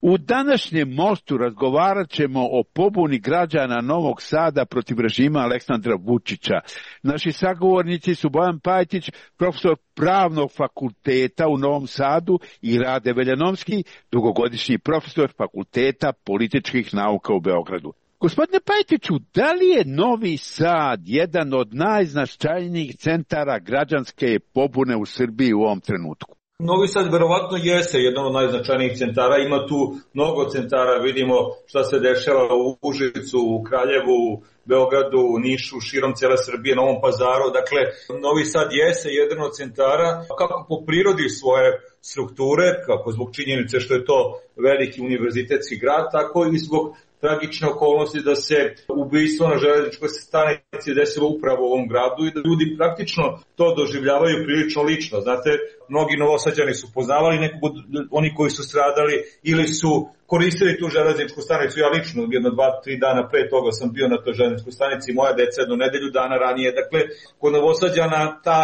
Speaker 21: U današnjem Mostu razgovarat ćemo o pobuni građana Novog Sada protiv režima Aleksandra Vučića. Naši sagovornici su Bojan Pajtić, profesor Pravnog fakulteta u Novom Sadu, i Rade Veljanovski, dugogodišnji profesor Fakulteta političkih nauka u Beogradu. Gospodine Pajtiću, da li je Novi Sad jedan od najznačajnijih centara građanske pobune u Srbiji u ovom trenutku?
Speaker 22: Novi Sad verovatno jeste jedan od najznačajnijih centara, ima tu mnogo centara, vidimo šta se dešava u Užicu, u Kraljevu, u Beogradu, u Nišu, širom cijele Srbije, Novom Pazaru. Dakle, Novi Sad jeste jedan od centara, kako po prirodi svoje strukture, kako zbog činjenice što je to veliki univerzitetski grad, tako i zbog tragične okolnosti da se ubistvo na železničkoj stanici desilo upravo u ovom gradu i da ljudi praktično to doživljavaju prilično lično. Znate, mnogi Novosađani su poznavali nekog od oni koji su stradali ili su koristili tu železničku stanicu. Ja lično jedno dva, tri dana pre toga sam bio na toj železničkoj stanici, moja deca jedno nedelju dana ranije. Dakle, kod Novosađana ta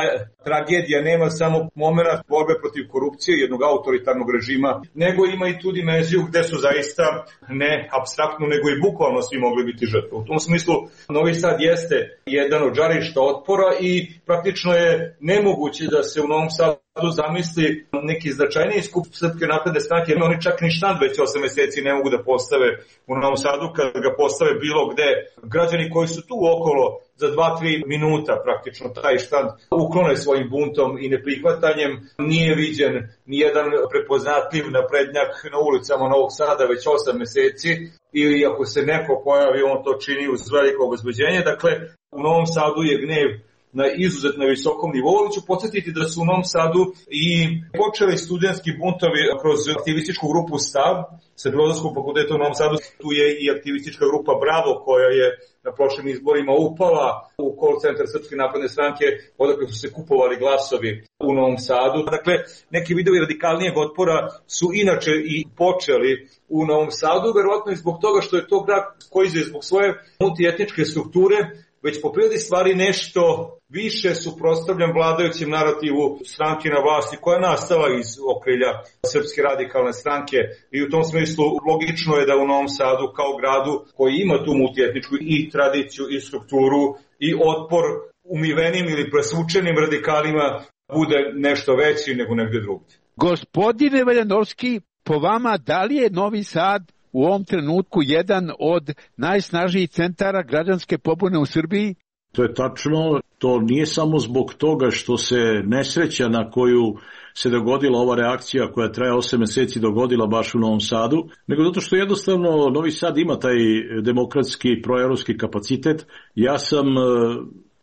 Speaker 22: tragedija nema samo moment borbe protiv korupcije, jednog autoritarnog režima, nego ima i tu dimenziju gde su zaista ne apstraktno, nego i bukvalno svi mogli biti žrtve. U tom smislu Novi Sad jeste jedan od žarišta otpora i praktično je nemoguće da se u Novom Sadu zamisli neki značajniji skup Srpske napredne stranke, jer oni čak ni štand već osam meseci ne mogu da postave u Novom Sadu. Kad ga postave bilo gde, građani koji su tu okolo za dva do tri minuta praktično taj štand uklone svojim buntom i neprihvatanjem. Nije viđen nijedan prepoznatljiv naprednjak na ulicama Novog Sada već osam meseci, ili ako se neko pojavi, on to čini uz veliko obezbeđenje. Dakle, u Novom Sadu je gnev na izuzetno visokom nivou. Ću podsjetiti da su u Novom Sadu i počeli studentski buntovi kroz aktivističku grupu Stav sa Filozofskog fakulteta u Novom Sadu. Tu je i aktivistička grupa Bravo, koja je na prošlim izborima upala u call centar Srpske napredne stranke, odakle su se kupovali glasovi u Novom Sadu. Dakle, neki vidovi radikalnijeg otpora su inače i počeli u Novom Sadu, verovatno i zbog toga što je to grad koji je zbog svoje multietničke strukture već po prirodi stvari nešto više suprotstavljan vladajućem narativu stranke na vlasti, koja je nastala iz okrilja Srpske radikalne stranke, i u tom smislu logično je da u Novom Sadu kao gradu koji ima tu multietničku i tradiciju i strukturu i otpor umivenim ili presvučenim radikalima bude nešto veći nego negdje drugdje.
Speaker 21: Gospodine Veljanovski, po vama, da li je Novi Sad u ovom trenutku jedan od najsnažnijih centara građanske pobune u Srbiji?
Speaker 23: To je tačno.
Speaker 4: to nije samo zbog toga što se nesreća na koju se dogodila ova reakcija koja traje osam meseci dogodila baš u Novom Sadu, nego zato što jednostavno Novi Sad ima taj demokratski proevropski kapacitet. Ja sam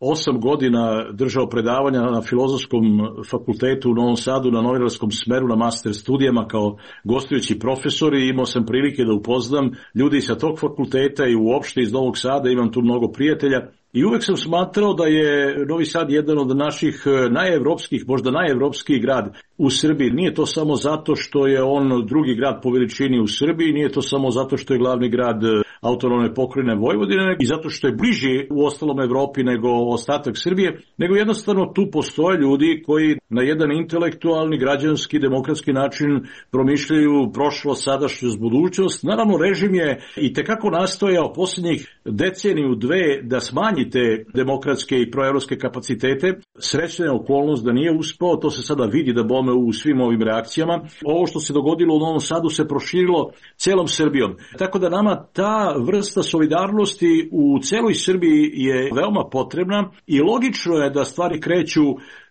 Speaker 4: osam godina držao predavanja na Filozofskom fakultetu u Novom Sadu na novinarskom smeru na master studijama kao gostujući profesor i imao sam prilike da upoznam ljudi sa tog fakulteta i uopšte iz Novog Sada, imam tu mnogo prijatelja. I uvek sam smatrao da je Novi Sad jedan od naših najevropskih, možda najevropskiji grad u Srbiji. Nije to samo zato što je on drugi grad po veličini u Srbiji, nije to samo zato što je glavni grad autonomne pokrajine Vojvodine i zato što je bliži u ostalom Evropi nego ostatak Srbije, nego jednostavno tu postoje ljudi koji na jedan intelektualni, građanski, demokratski način promišljaju prošlost, sadašnjost, budućnost. Naravno, režim je i tekako nastojao posljednjih deceniju, dve da smanji te demokratske i proevropske kapacitete. Srećna je okolnost da nije uspeo, to se sada vidi da bome u svim ovim reakcijama. Ovo što se dogodilo u Novom Sadu se proširilo celom Srbijom. Tako da nama ta vrsta solidarnosti u celoj Srbiji je veoma potrebna i logično je da stvari kreću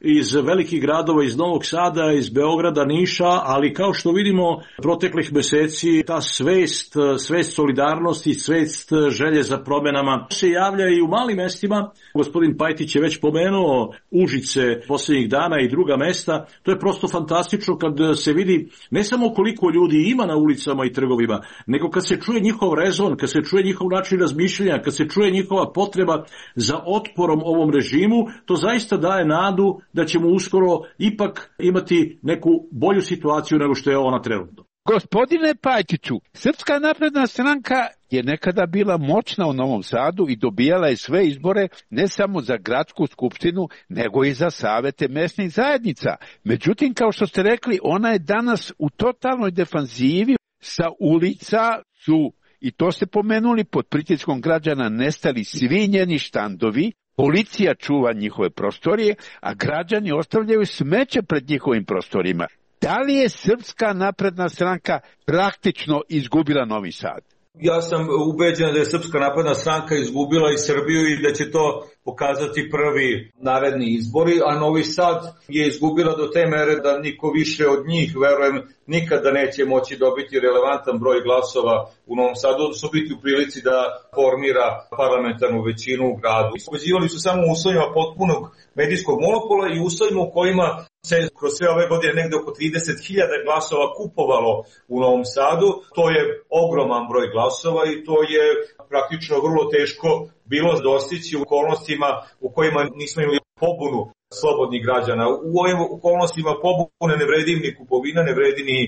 Speaker 4: iz velikih gradova, iz Novog Sada, iz Beograda, Niša, ali kao što vidimo proteklih meseci ta svest, svest solidarnosti, svest želje za promjenama se javlja i u malim mestima. Gospodin Pajtić je već pomenuo Užice posljednjih dana i druga mesta. To je prosto fantastično kad se vidi ne samo koliko ljudi ima na ulicama i trgovima, nego kad se čuje njihov rezon, kad se čuje njihov način razmišljanja, kad se čuje njihova potreba za otporom ovom režimu, to zaista daje nadu da ćemo uskoro ipak imati neku bolju situaciju nego što je ona trenutno.
Speaker 21: Gospodine Pajtiću, Srpska napredna stranka je nekada bila moćna u Novom Sadu i dobijala je sve izbore ne samo za gradsku skupštinu, nego i za savete mesnih zajednica. Međutim, kao što ste rekli, ona je danas u totalnoj defanzivi. Sa ulica su, i to ste pomenuli, pod pritiskom građana nestali svi njeni štandovi, policija čuva njihove prostorije, a građani ostavljaju smeće pred njihovim prostorima. Da li je Srpska napredna stranka praktično izgubila Novi Sad?
Speaker 22: Ja sam ubeđen da je Srpska napredna stranka izgubila i Srbiju i da će to pokazati prvi naredni izbori, a Novi Sad je izgubila do te mere da niko više od njih, verujem, nikada neće moći dobiti relevantan broj glasova u Novom Sadu, odnosno biti u prilici da formira parlamentarnu većinu u gradu. Pobeđivali su samo u uslovima potpunog medijskog monopola i uslovima u kojima se kroz sve ove godine negde oko trideset hiljada glasova kupovalo u Novom Sadu. To je ogroman broj glasova i to je praktično vrlo teško bilo dostići u okolnostima u kojima nismo imali pobunu slobodnih građana. U ovim okolnostima pobune ne vredi ni kupovina, ne vredi ni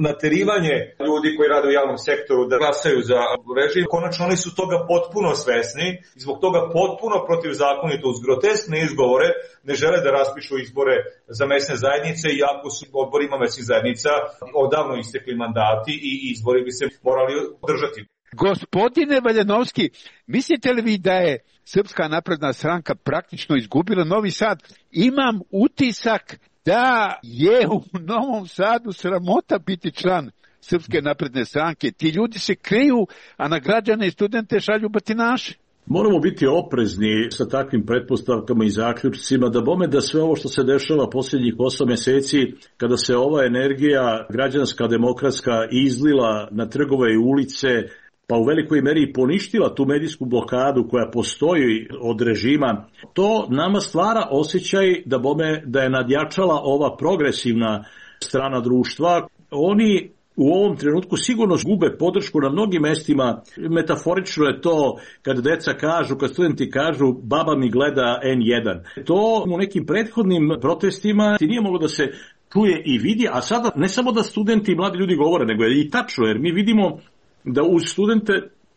Speaker 22: naterivanje ljudi koji rade u javnom sektoru da glasaju za režim. Konačno oni su toga potpuno svesni i zbog toga potpuno protivzakonito uz groteskne izgovore ne žele da raspišu izbore za mesne zajednice, iako su odborima mesnih zajednica odavno istekli mandati i izbori bi se morali održati.
Speaker 21: Gospodine Valjanovski, mislite li vi da je Srpska napredna stranka praktično izgubila Novi Sad? Imam utisak da je u Novom Sadu sramota biti član Srpske napredne stranke. Ti ljudi se kriju, a na građane i studente šalju batinaše.
Speaker 4: Moramo biti oprezni sa takvim pretpostavkama i zaključcima, da bome da sve ovo što se dešava posljednjih osam meseci, kada se ova energija građanska, demokratska izlila na trgove i ulice, pa u velikoj meri poništila tu medijsku blokadu koja postoji od režima, to nama stvara osjećaj da bome da je nadjačala ova progresivna strana društva. Oni u ovom trenutku sigurno gube podršku na mnogim mestima. Metaforično je to kad deca kažu, kad studenti kažu baba mi gleda en jedan. To u nekim prethodnim protestima ti nije moglo da se čuje i vidi, a sada ne samo da studenti i mladi ljudi govore, nego je i tačno, jer mi vidimo da uz studente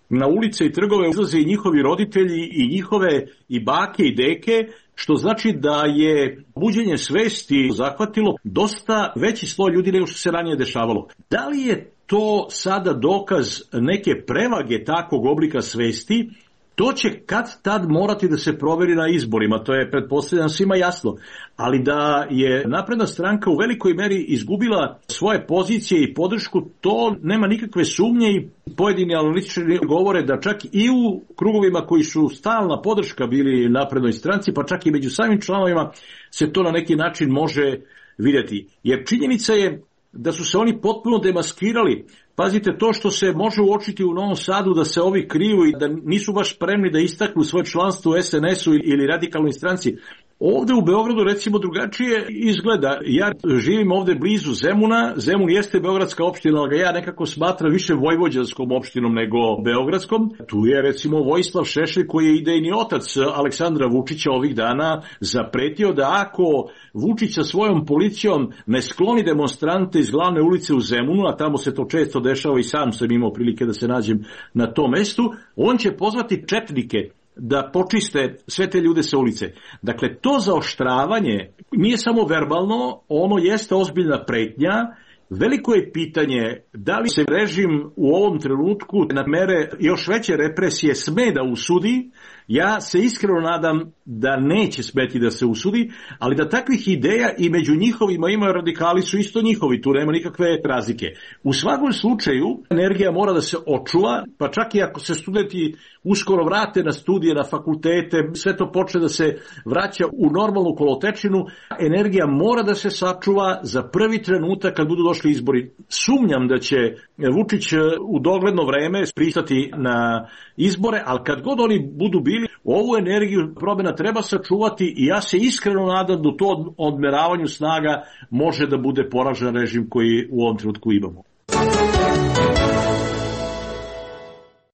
Speaker 4: na ulice i trgove izlaze i njihovi roditelji i njihove i bake i deke, što znači da je buđenje svesti zahvatilo dosta veći sloj ljudi nego što se ranije dešavalo. Da li je to sada dokaz neke prevage takvog oblika svesti To će kad tad morati da se proveri na izborima, to je pretpostavljeno svima jasno, ali da je napredna stranka u velikoj meri izgubila svoje pozicije i podršku, to nema nikakve sumnje i pojedini analitičari govore da čak i u krugovima koji su stalna podrška bili naprednoj stranci, pa čak i među samim članovima se to na neki način može vidjeti. Jer činjenica je da su se oni potpuno demaskirali. Pazite, to što se može uočiti u Novom Sadu da se ovi kriju i da nisu baš spremni da istaknu svoje članstvo u es en esu ili radikalnoj stranci. Ovde u Beogradu recimo drugačije izgleda. Ja živim ovde blizu Zemuna. Zemun jeste beogradska opština, ali ga ja nekako smatram više vojvođanskom opštinom nego beogradskom. Tu je recimo Vojislav Šešelj koji je idejni otac Aleksandra Vučića ovih dana zapretio da ako Vučić sa svojom policijom ne skloni demonstrante iz glavne ulice u Zemunu, a tamo se to često dešava i sam sam imao prilike da se nađem na tom mestu, on će pozvati četnike da počiste sve te ljude sa ulice. Dakle, to zaoštravanje nije samo verbalno, ono jeste ozbiljna pretnja. Veliko je pitanje da li se režim u ovom trenutku na mere još veće represije sme da usudi. Ja se iskreno nadam da neće smeti da se usudi, ali da takvih ideja i među njihovima imaju radikali su isto njihovi, tu nema nikakve razlike. U svakom slučaju energija mora da se očuva, pa čak i ako se studenti uskoro vrate na studije, na fakultete, sve to počne da se vraća u normalnu kolotečinu, energija mora da se sačuva za prvi trenutak kad budu došli izbori. Sumnjam da će Vučić u dogledno vreme pristati na izbore, ali kad god oni budu bili, ovu energiju promjena treba sačuvati i ja se iskreno nadam da u to odmeravanju snaga može da bude poražen režim koji u ovom trenutku imamo.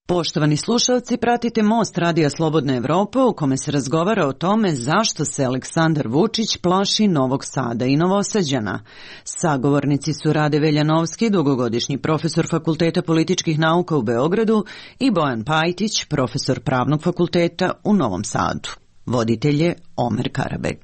Speaker 5: Poštovani slušalci, pratite Most Radija Slobodna Evropa u kome se razgovara o tome zašto se Aleksandar Vučić plaši Novog Sada i Novosađana. Sagovornici su Rade Veljanovski, dugogodišnji profesor Fakulteta političkih nauka u Beogradu, i Bojan Pajtić, profesor Pravnog fakulteta u Novom Sadu. Voditelj je Omer Karabeg.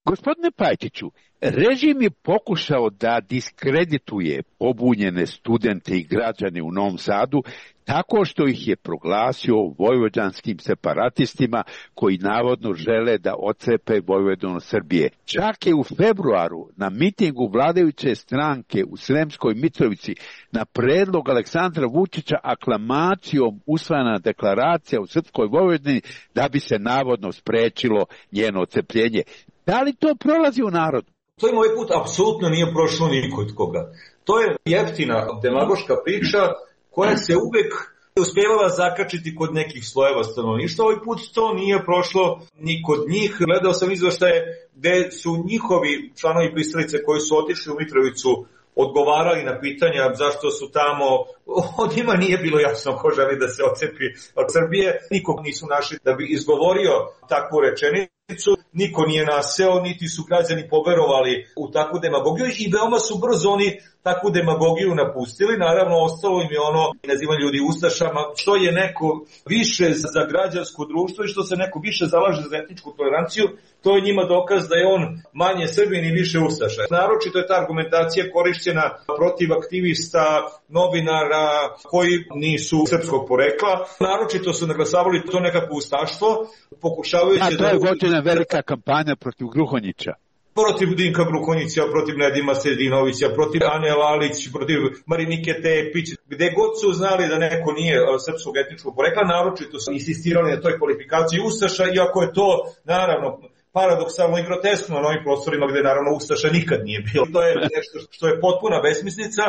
Speaker 21: Gospodine Pajtiću, režim je pokušao da diskredituje pobunjene studente i građane u Novom Sadu tako što ih je proglasio vojvođanskim separatistima koji navodno žele da otcepe Vojvodinu Srbije. Čak je u februaru na mitingu vladajuće stranke u Sremskoj Mitrovici na predlog Aleksandra Vučića aklamacijom usvojena deklaracija u Srpskoj Vojvodini da bi se navodno sprečilo njeno otcepljenje. Da li to prolazi u narodu?
Speaker 22: To im ovaj put apsolutno nije prošlo nikod koga. To je jeftina demagoška priča koja se uvek uspjevala zakačiti kod nekih slojeva stanovništva. Ovaj put to nije prošlo ni kod njih. Gledao sam izveštaje gde su njihovi članovi pristalice koji su otišli u Mitrovicu odgovarali na pitanja zašto su tamo, od njima nije bilo jasno ko želi da se odcepi od Srbije. Nikog nisu našli da bi izgovorio takvu rečenicu, niko nije naseo, niti su građani poverovali u takvu demagogiju i veoma su brzo oni takvu demagogiju napustili. Naravno, ostalo im je ono nazivanje ljudi ustašama, što je neko više za građansko društvo i što se neko više zalaže za etničku toleranciju, to je njima dokaz da je on manje Srbin i više ustaša. Naročito je ta argumentacija korišćena protiv aktivista, novinara koji nisu srpskog porekla. Naročito su naglasavali to nekako ustaštvo, pokušavajući da...
Speaker 21: A to je vođena velika kampanja protiv Gruhonjića.
Speaker 22: Protiv Dinka Gruhonjića, protiv Nedima Sedinovića, protiv Ane Lalić, protiv Marinike Tepić, gde god su znali da neko nije srpskog etničkog porekla, naročito su insistirali na toj kvalifikaciji ustaša, iako je to, naravno, paradoksalno i groteskno na ovim prostorima gde naravno ustaša nikad nije bilo. To je nešto što je potpuna besmislica,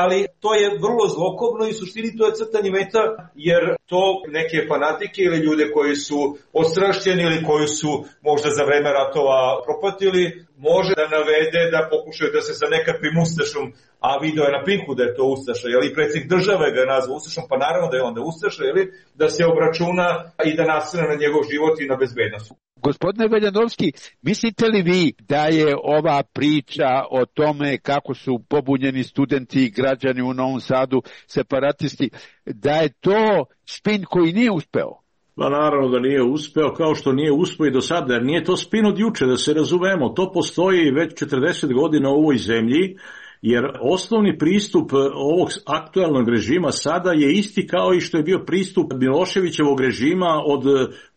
Speaker 22: ali to je vrlo zlokobno i u suštini to je crtanje meta, jer to neke fanatike ili ljude koji su ostrašćeni ili koji su možda za vreme ratova propatili, može da navede da pokušaju da se sa nekakvim ustašom, a video je na Pinku da je to ustaša, jel, i predsjednik države ga je nazvao ustašom, pa naravno da je onda ustaša, jel, da se obračuna i da nastrane na njegov život i na bezbednost.
Speaker 21: Gospodine Veljanovski, mislite li vi da je ova priča o tome kako su pobunjeni studenti i građani u Novom Sadu separatisti, da je to spin koji nije uspeo?
Speaker 4: Pa naravno da nije uspeo, kao što nije uspeo i do sada, jer nije to spin od juče, da se razumemo. To postoji već četrdeset godina u ovoj zemlji jer osnovni pristup ovog aktualnog režima sada je isti kao i što je bio pristup Miloševićevog režima od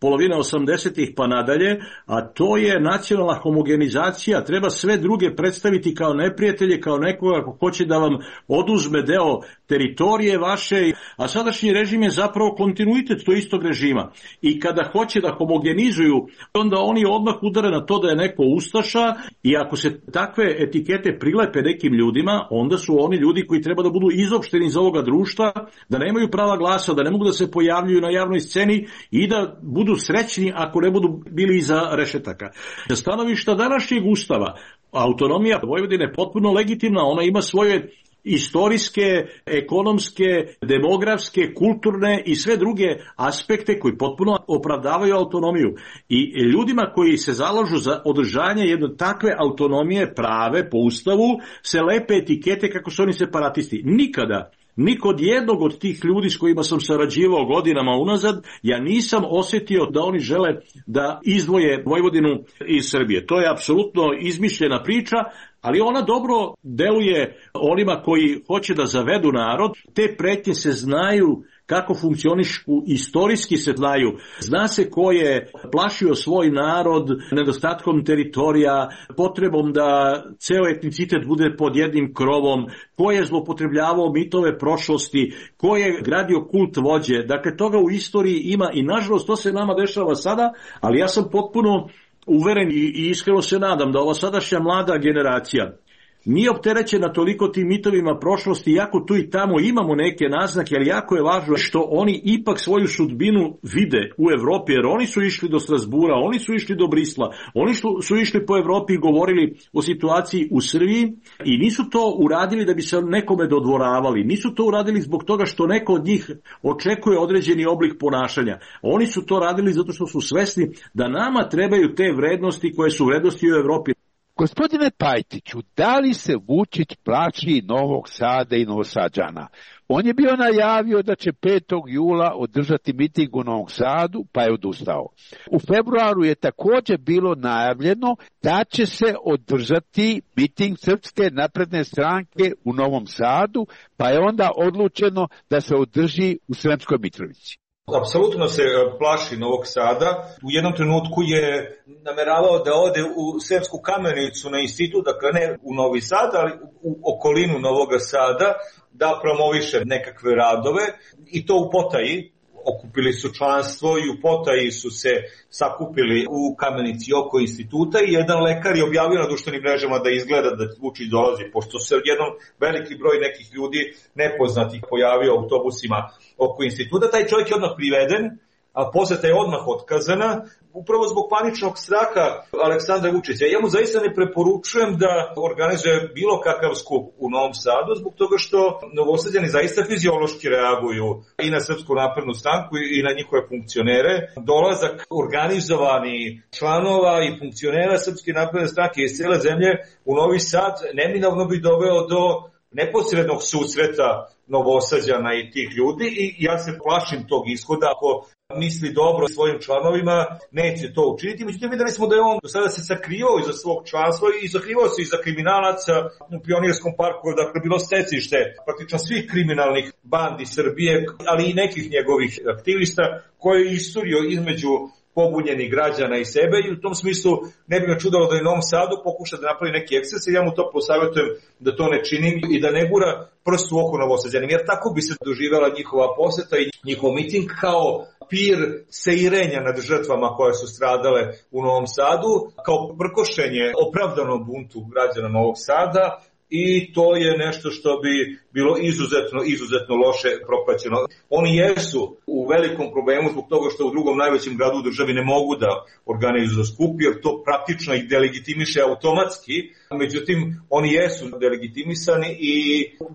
Speaker 4: polovine osamdesetih pa nadalje, a to je nacionalna homogenizacija. Treba sve druge predstaviti kao neprijatelje, kao nekoga ko hoće da vam oduzme deo teritorije vaše, a sadašnji režim je zapravo kontinuitet tog istog režima. I kada hoće da homogenizuju, onda oni odmah udare na to da je neko ustaša, i ako se takve etikete prilepe nekim ljudima, onda su oni ljudi koji treba da budu izopšteni iz ovoga društva, da nemaju prava glasa, da ne mogu da se pojavljuju na javnoj sceni i da budu srećni ako ne budu bili iza rešetaka. Sa stanovišta današnjeg ustava, autonomija Vojvodine je potpuno legitimna, ona ima svoje istorijske, ekonomske, demografske, kulturne i sve druge aspekte koji potpuno opravdavaju autonomiju. I ljudima koji se zalažu za održanje jedne takve autonomije prave po ustavu se lepe etikete kako su oni separatisti. Nikada ni kod jednog od tih ljudi s kojima sam sarađivao godinama unazad, ja nisam osjetio da oni žele da izdvoje Vojvodinu iz Srbije. To je apsolutno izmišljena priča, ali ona dobro deluje onima koji hoće da zavedu narod. Te pretnje se znaju kako funkcionišu, istorijski se znaju. Zna se ko je plašio svoj narod nedostatkom teritorija, potrebom da ceo etnicitet bude pod jednim krovom, ko je zloupotrebljavao mitove prošlosti, ko je gradio kult vođe. Dakle, toga u istoriji ima i nažalost to se nama dešava sada, ali ja sam potpuno uveren i iskreno se nadam da ova sadašnja mlada generacija nije opterećena toliko tim mitovima prošlosti, iako tu i tamo imamo neke naznake, ali jako je važno što oni ipak svoju sudbinu vide u Evropi, jer oni su išli do Strasbura, oni su išli do Brisla, oni su išli po Evropi i govorili o situaciji u Srbiji i nisu to uradili da bi se nekome dodvoravali, nisu to uradili zbog toga što neko od njih očekuje određeni oblik ponašanja. Oni su to radili zato što su svesni da nama trebaju te vrednosti koje su vrednosti u Evropi.
Speaker 21: Gospodine Pajtiću, da li se Vučić plaši Novog Sada i Novosađana? On je bio najavio da će petog jula održati miting u Novom Sadu, pa je odustao. U februaru je također bilo najavljeno da će se održati miting Srpske napredne stranke u Novom Sadu, pa je onda odlučeno da se održi u Sremskoj Mitrovici.
Speaker 22: Apsolutno se plaši Novog Sada. U jednom trenutku je nameravao da ode u Sremsku Kamenicu na institut, dakle ne u Novi Sad, ali u okolinu Novog Sada, da promoviše nekakve radove i to u potaji. Okupili su članstvo i u potaji su se sakupili u Kamenici oko instituta i jedan lekar je objavio na društvenim mrežama da izgleda da Vučić dolazi, pošto se jedan veliki broj nekih ljudi nepoznatih pojavio u autobusima oko instituta. Taj čovjek je odmah priveden, a poseta je odmah otkazana, upravo zbog paničnog straha Aleksandra Vučića. Ja mu zaista ne preporučujem da organizuje bilo kakav skup u Novom Sadu, zbog toga što Novosađani zaista fiziološki reaguju i na Srpsku naprednu stranku i na njihove funkcionere. Dolazak organizovani članova i funkcionera Srpske napredne stranke iz cijele zemlje u Novi Sad neminovno bi doveo do neposrednog susreta Novosađana i tih ljudi i ja se plašim tog ishoda. Ako misli dobro svojim članovima, neće to učiniti. Međutim, videli smo da je on do sada se sakrivao iza svog članstva i sakrivao se iza kriminalaca u Pionirskom parku, dakle bilo stecište praktično svih kriminalnih bandi Srbije, ali i nekih njegovih aktivista koje je isturio između pobunjenih građana i sebe i u tom smislu ne bi me čudalo da i u Novom Sadu pokuša da napravi neki eksces i ja mu to posavjetujem da to ne čini i da ne gura prst u oko Novosađanima, jer tako bi se doživjela njihova poseta i njihov miting kao pir seirenja nad žrtvama koje su stradale u Novom Sadu, kao prkošenje opravdanom buntu građana Novog Sada. I to je nešto što bi bilo izuzetno, izuzetno loše propraćeno. Oni jesu u velikom problemu zbog toga što u drugom najvećem gradu u državi ne mogu da organizuju skup, jer to praktično ih delegitimiše automatski. Međutim, oni jesu delegitimisani i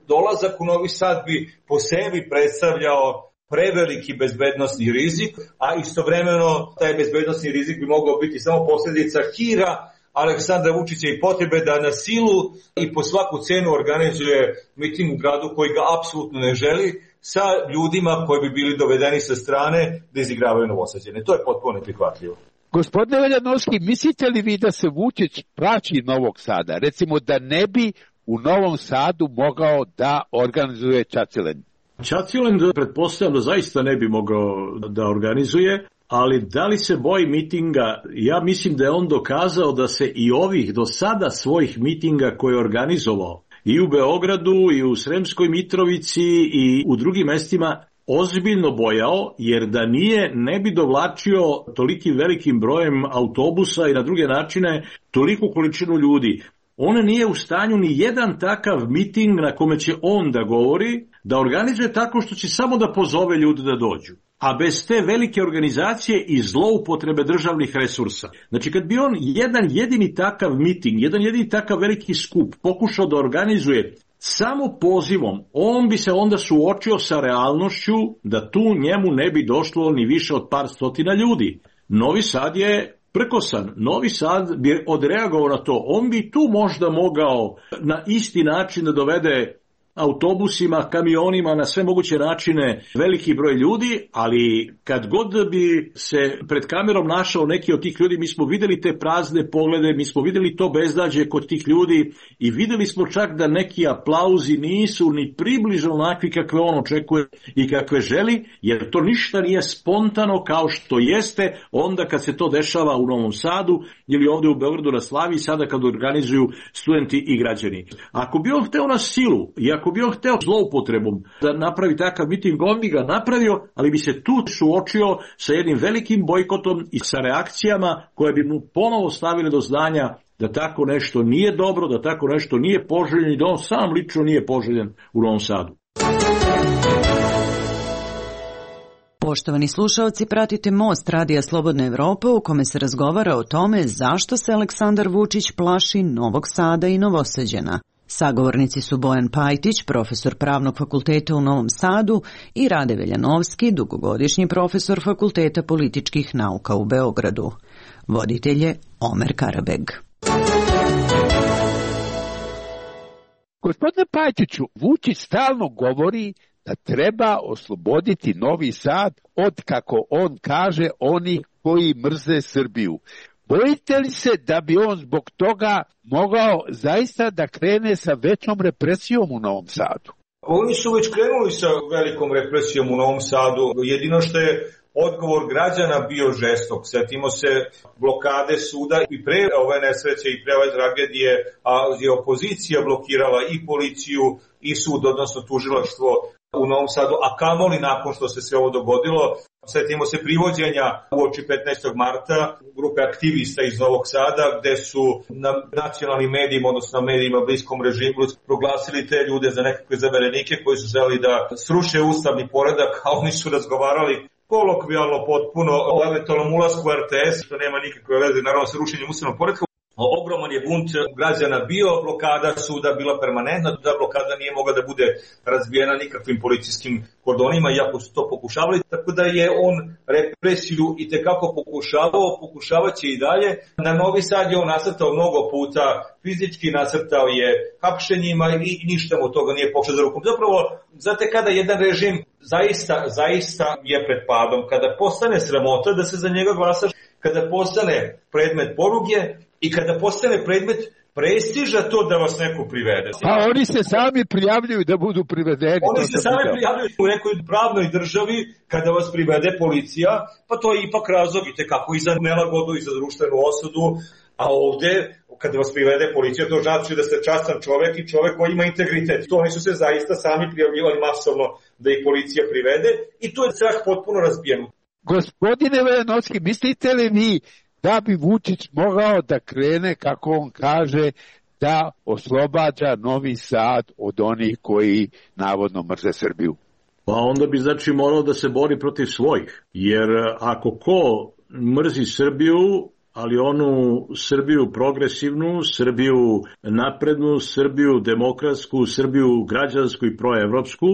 Speaker 22: dolazak u Novi Sad bi po sebi predstavljao preveliki bezbednosni rizik, a istovremeno taj bezbednosni rizik bi mogao biti samo posljedica hira Aleksandra Vučića i potrebe da na silu i po svaku cenu organizuje miting u gradu koji ga apsolutno ne želi, sa ljudima koji bi bili dovedeni sa strane da izigravaju Novosađane. To je potpuno neprihvatljivo.
Speaker 21: Gospodine Veljanovski, mislite li vi da se Vučić plaši Novog Sada? Recimo da ne bi u Novom Sadu mogao da organizuje Čacilen?
Speaker 4: Čacilen, pretpostavljam da zaista ne bi mogao da organizuje, ali da li se boji mitinga? Ja mislim da je on dokazao da se i ovih do sada svojih mitinga koje je organizovao i u Beogradu i u Sremskoj Mitrovici i u drugim mestima ozbiljno bojao, jer da nije ne bi dovlačio tolikim velikim brojem autobusa i na druge načine toliku količinu ljudi. On nije u stanju ni jedan takav miting na kome će on da govori, da organizuje tako što će samo da pozove ljude da dođu. A bez te velike organizacije i zloupotrebe državnih resursa. Znači kad bi on jedan jedini takav miting, jedan jedini takav veliki skup pokušao da organizuje samo pozivom, on bi se onda suočio sa realnošću da tu njemu ne bi došlo ni više od par stotina ljudi. Novi Sad je prkosan. Novi Sad bi odreagovao na to. On bi tu možda mogao na isti način da dovede autobusima, kamionima, na sve moguće načine veliki broj ljudi, ali kad god bi se pred kamerom našao neki od tih ljudi, mi smo videli te prazne poglede, mi smo videli to bezdađe kod tih ljudi i videli smo čak da neki aplauzi nisu ni približno onakvi kakve on očekuje i kakve želi, jer to ništa nije spontano kao što jeste onda kad se to dešava u Novom Sadu ili ovde u Beogradu na Slavi, sada kad organizuju studenti i građani. Ako bi on hteo na silu i ako bi on hteo zloupotrebom da napravi takav miting, on bi ga napravio, ali bi se tu suočio sa jednim velikim bojkotom i sa reakcijama koje bi mu ponovo stavile do znanja da tako nešto nije dobro, da tako nešto nije poželjen i da on sam lično nije poželjen u Novom Sadu.
Speaker 5: Poštovani slušaoci, pratite Most Radija Slobodna Evropa u kome se razgovara o tome zašto se Aleksandar Vučić plaši Novog Sada i Novosađana. Sagovornici su Bojan Pajtić, profesor Pravnog fakulteta u Novom Sadu, i Rade Veljanovski, dugogodišnji profesor Fakulteta političkih nauka u Beogradu. Voditelj je Omer Karabeg.
Speaker 21: Gospodine Pajtiću, Vučić stalno govori da treba osloboditi Novi Sad od, kako on kaže, onih koji mrze Srbiju. Bojite li se da bi on zbog toga mogao zaista da krene sa većom represijom u Novom Sadu?
Speaker 22: Oni su već krenuli sa velikom represijom u Novom Sadu. Jedino što je odgovor građana bio žestok. Sjetimo se blokade suda i pre ove nesreće i pre ove tragedije, a je opozicija blokirala i policiju i sud, odnosno tužilaštvo u Novom Sadu, a kamoli nakon što se sve ovo dogodilo. Sjetimo se privođenja uoči petnaestog marta grupe aktivista iz Novog Sada, gde su na nacionalnim medijima, odnosno na medijima bliskom režimu, proglasili te ljude za nekakve zaverenike koji su želi da sruše ustavni poredak, a oni su razgovarali kolokvijalno potpuno o eventualnom ulasku u R T S, što nema nikakve veze naravno sa rušenjem ustavnog poredka. Ogroman je bunt građana bio, blokada suda bila permanentna, da blokada nije mogla da bude razbijena nikakvim policijskim kordonima, iako su to pokušavali, tako da je on represiju i tekako pokušavao, pokušavaće i dalje. Na Novi Sad je on nasrtao mnogo puta, fizički nasrtao je hapšenjima i ništa mu toga nije pošao za rukom. Zapravo, znate, kada jedan režim zaista, zaista je pred padom, kada postane sramota da se za njega glasaš, kada postane predmet poruge, i kada postane predmet prestiža to da vas neko privede.
Speaker 21: Pa oni se sami prijavljuju da budu privedeni.
Speaker 22: Oni se sami prijavljuju u nekoj pravnoj državi kada vas privede policija, pa to je ipak razlog i tekako i za nelagodu i za društvenu osudu, a ovde kada vas privede policija to znači da ste častan čovek i čovek koji ima integritet. To oni su se zaista sami prijavljivali masovno da ih policija privede i to je strah potpuno razbijen.
Speaker 21: Gospodine Veljanovski, mislite li vi da bi Vučić mogao da krene, kako on kaže, da oslobađa Novi Sad od onih koji navodno mrze Srbiju?
Speaker 4: Pa onda bi znači morao da se bori protiv svojih, jer ako ko mrzi Srbiju, ali onu Srbiju progresivnu, Srbiju naprednu, Srbiju demokratsku, Srbiju građansku i proevropsku,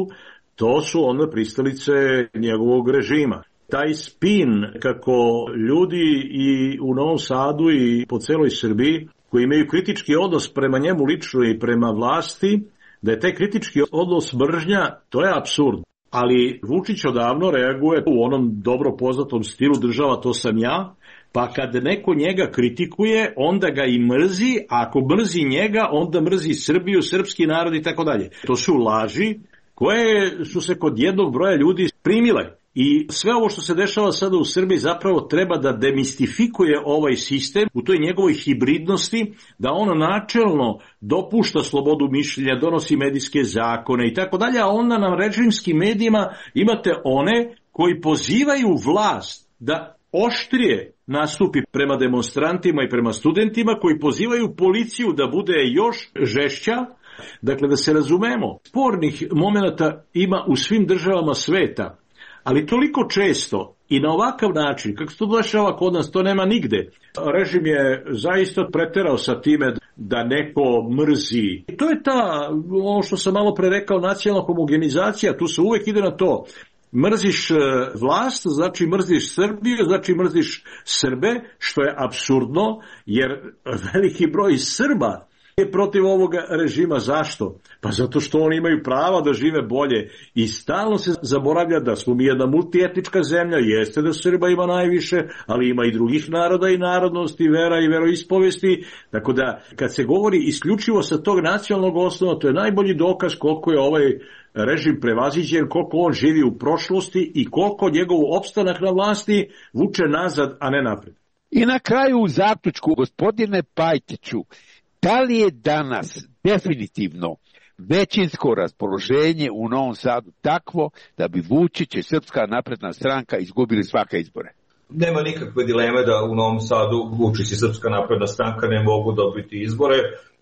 Speaker 4: to su onda pristalice njegovog režima. Taj spin kako ljudi i u Novom Sadu i po celoj Srbiji koji imaju kritički odnos prema njemu lično i prema vlasti, da je taj kritički odnos mržnja, to je apsurd. Ali Vučić odavno reaguje u onom dobro poznatom stilu država to sam ja, pa kad neko njega kritikuje, onda ga i mrzi, a ako mrzi njega, onda mrzi Srbiju, srpski narod i tako dalje. To su laži koje su se kod jednog broja ljudi primile. I sve ovo što se dešava sada u Srbiji zapravo treba da demistifikuje ovaj sistem u toj njegovoj hibridnosti, da ono načelno dopušta slobodu mišljenja, donosi medijske zakone i tako dalje, a onda na režimskim medijima imate one koji pozivaju vlast da oštrije nastupi prema demonstrantima i prema studentima, koji pozivaju policiju da bude još žešća. Dakle, da se razumemo, spornih momenata ima u svim državama sveta, ali toliko često i na ovakav način, kako se to dešava kod nas, to nema nigde. Režim je zaista preterao sa time da neko mrzi. To je ta, ono što sam malo pre rekao, nacionalna homogenizacija, tu se uvek ide na to. Mrziš vlast, znači mrziš Srbiju, znači mrziš Srbe, što je apsurdno, jer veliki broj Srba je protiv ovog režima. Zašto? Pa zato što oni imaju prava da žive bolje i stalno se zaboravlja da smo mi jedna multietnička zemlja, jeste da Srba ima najviše, ali ima i drugih naroda i narodnosti, vera i veroispovesti, tako da kad se govori isključivo sa tog nacionalnog osnova, to je najbolji dokaz koliko je ovaj režim prevaziđen, koliko on živi u prošlosti i koliko njegov opstanak na vlasti vuče nazad, a ne napred.
Speaker 21: I na kraju u zaključku, gospodine Pajtiću, da li je danas definitivno većinsko raspoloženje u Novom Sadu takvo da bi Vučić i Srpska napredna stranka izgubili svake izbore?
Speaker 22: Nema nikakve dileme da u Novom Sadu Vučić i Srpska napredna stranka ne mogu dobiti izbore.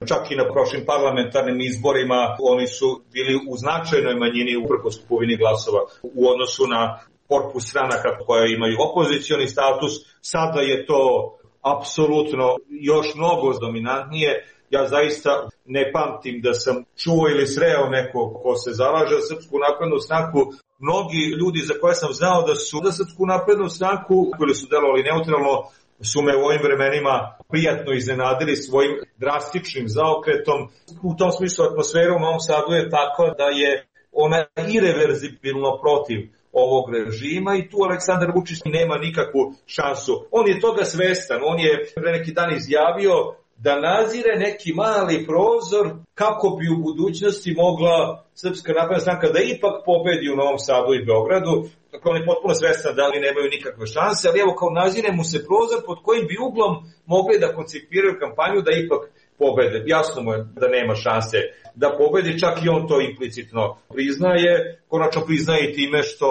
Speaker 22: Čak i na prošlim parlamentarnim izborima oni su bili u značajnoj manjini uprkos kupovini glasova u odnosu na korpus stranaka koje imaju opozicioni status. Sada je to apsolutno još mnogo dominantnije. Ja zaista ne pamtim da sam čuo ili sreo neko ko se zalaže za Srpsku naprednu stranku. Mnogi ljudi za koje sam znao da su za Srpsku naprednu stranku ili su delovali neutralno su me u ovim vremenima prijatno iznenadili svojim drastičnim zaokretom. U tom smislu atmosfera u Novom Sadu je takva da je ona irreverzibilno protiv ovog režima i tu Aleksandar Vučić nema nikakvu šansu. On je toga svestan, on je pre neki dan izjavio da nazire neki mali prozor kako bi u budućnosti mogla Srpska napredna stranka da ipak pobedi u Novom Sadu i Beogradu. Dakle, on je potpuno svestan da oni nemaju nikakve šanse, ali evo kao nazire mu se prozor pod kojim bi uglom mogli da koncipiraju kampanju da ipak pobede. Jasno mu je da nema šanse da pobedi, čak i on to implicitno priznaje. Konačno priznaje i time što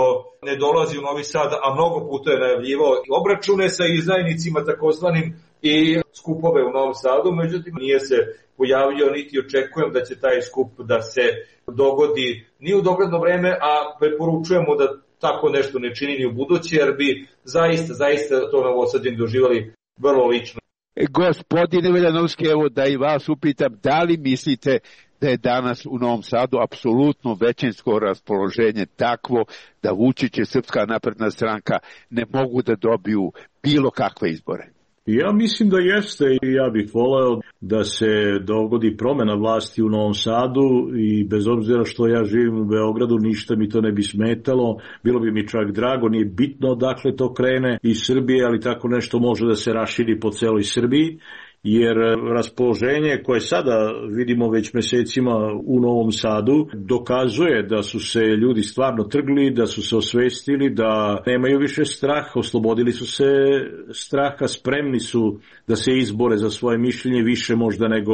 Speaker 22: ne dolazi u Novi Sad, a mnogo puta je najavljivao obračune sa izdajnicima takozvanim i skupove u Novom Sadu, međutim nije se pojavio niti očekujem da će taj skup da se dogodi ni u dogledno vreme, a preporučujemo da tako nešto ne čini ni u buduće, jer bi zaista, zaista to Novosađani doživali vrlo lično.
Speaker 21: Gospodine Veljanovski, evo da i vas upitam, da li mislite da je danas u Novom Sadu apsolutno većinsko raspoloženje takvo da Vučić i Srpska napredna stranka ne mogu da dobiju bilo kakve izbore?
Speaker 4: Ja mislim da jeste i ja bih voleo da se dogodi promena vlasti u Novom Sadu i bez obzira što ja živim u Beogradu ništa mi to ne bi smetalo, bilo bi mi čak drago, nije bitno odakle to krene iz Srbije, ali tako nešto može da se raširi po celoj Srbiji, jer raspoloženje koje sada vidimo već mesecima u Novom Sadu dokazuje da su se ljudi stvarno trgli, da su se osvestili, da nemaju više straha, oslobodili su se straha, spremni su da se izbore za svoje mišljenje više možda nego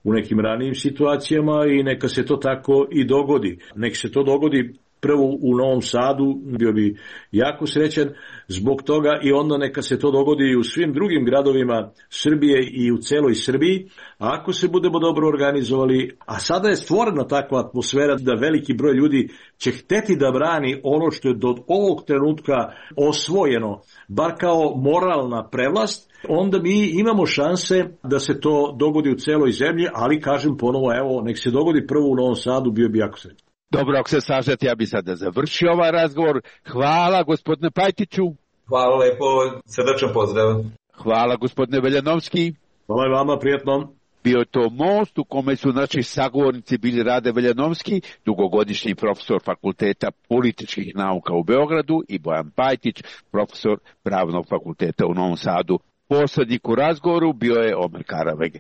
Speaker 4: u nekim ranijim situacijama i neka se to tako i dogodi. Nek se to dogodi prvo u Novom Sadu, bio bi jako srećan zbog toga i onda neka se to dogodi i u svim drugim gradovima Srbije i u celoj Srbiji. A ako se budemo dobro organizovali, a sada je stvorena takva atmosfera da veliki broj ljudi će hteti da brani ono što je do ovog trenutka osvojeno, bar kao moralna prevlast, onda mi imamo šanse da se to dogodi u celoj zemlji, ali kažem ponovo, evo, nek se dogodi prvo u Novom Sadu, bio bi jako srećan.
Speaker 21: Dobro, ako se slažete, ja bih sada završio ovaj razgovor. Hvala, gospodine Pajtiću.
Speaker 22: Hvala lepo, srdačan pozdrav.
Speaker 21: Hvala, gospodine Veljanovski.
Speaker 4: Hvala i vama, prijatno.
Speaker 21: Bio je to most u kome su naši sagovornici bili Rade Veljanovski, dugogodišnji profesor Fakulteta političkih nauka u Beogradu, i Bojan Pajtić, profesor Pravnog fakulteta u Novom Sadu. Poslednik u razgovoru bio je Omer Karavege.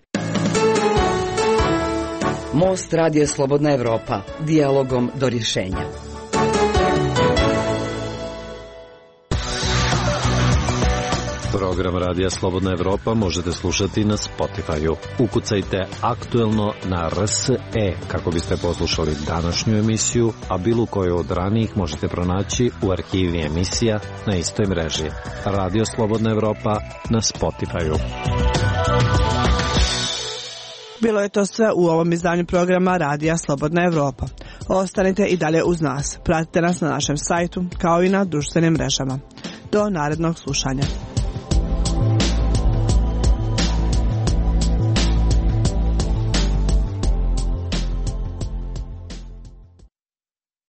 Speaker 15: Most radija Slobodna Evropa, dijalogom do rješenja.
Speaker 10: Program Radija Slobodna Evropa možete slušati na Spotify-u. Ukucajte aktuelno na R S E kako biste poslušali današnju emisiju, a bilo koju od ranijih možete pronaći u arhivi emisija na istoj mreži. Radio Slobodna Evropa na Spotify-u.
Speaker 20: Bilo je to sve u ovom izdanju programa Radija Slobodna Evropa. Ostanite i dalje uz nas. Pratite nas na našem sajtu kao i na društvenim mrežama. Do narednog slušanja.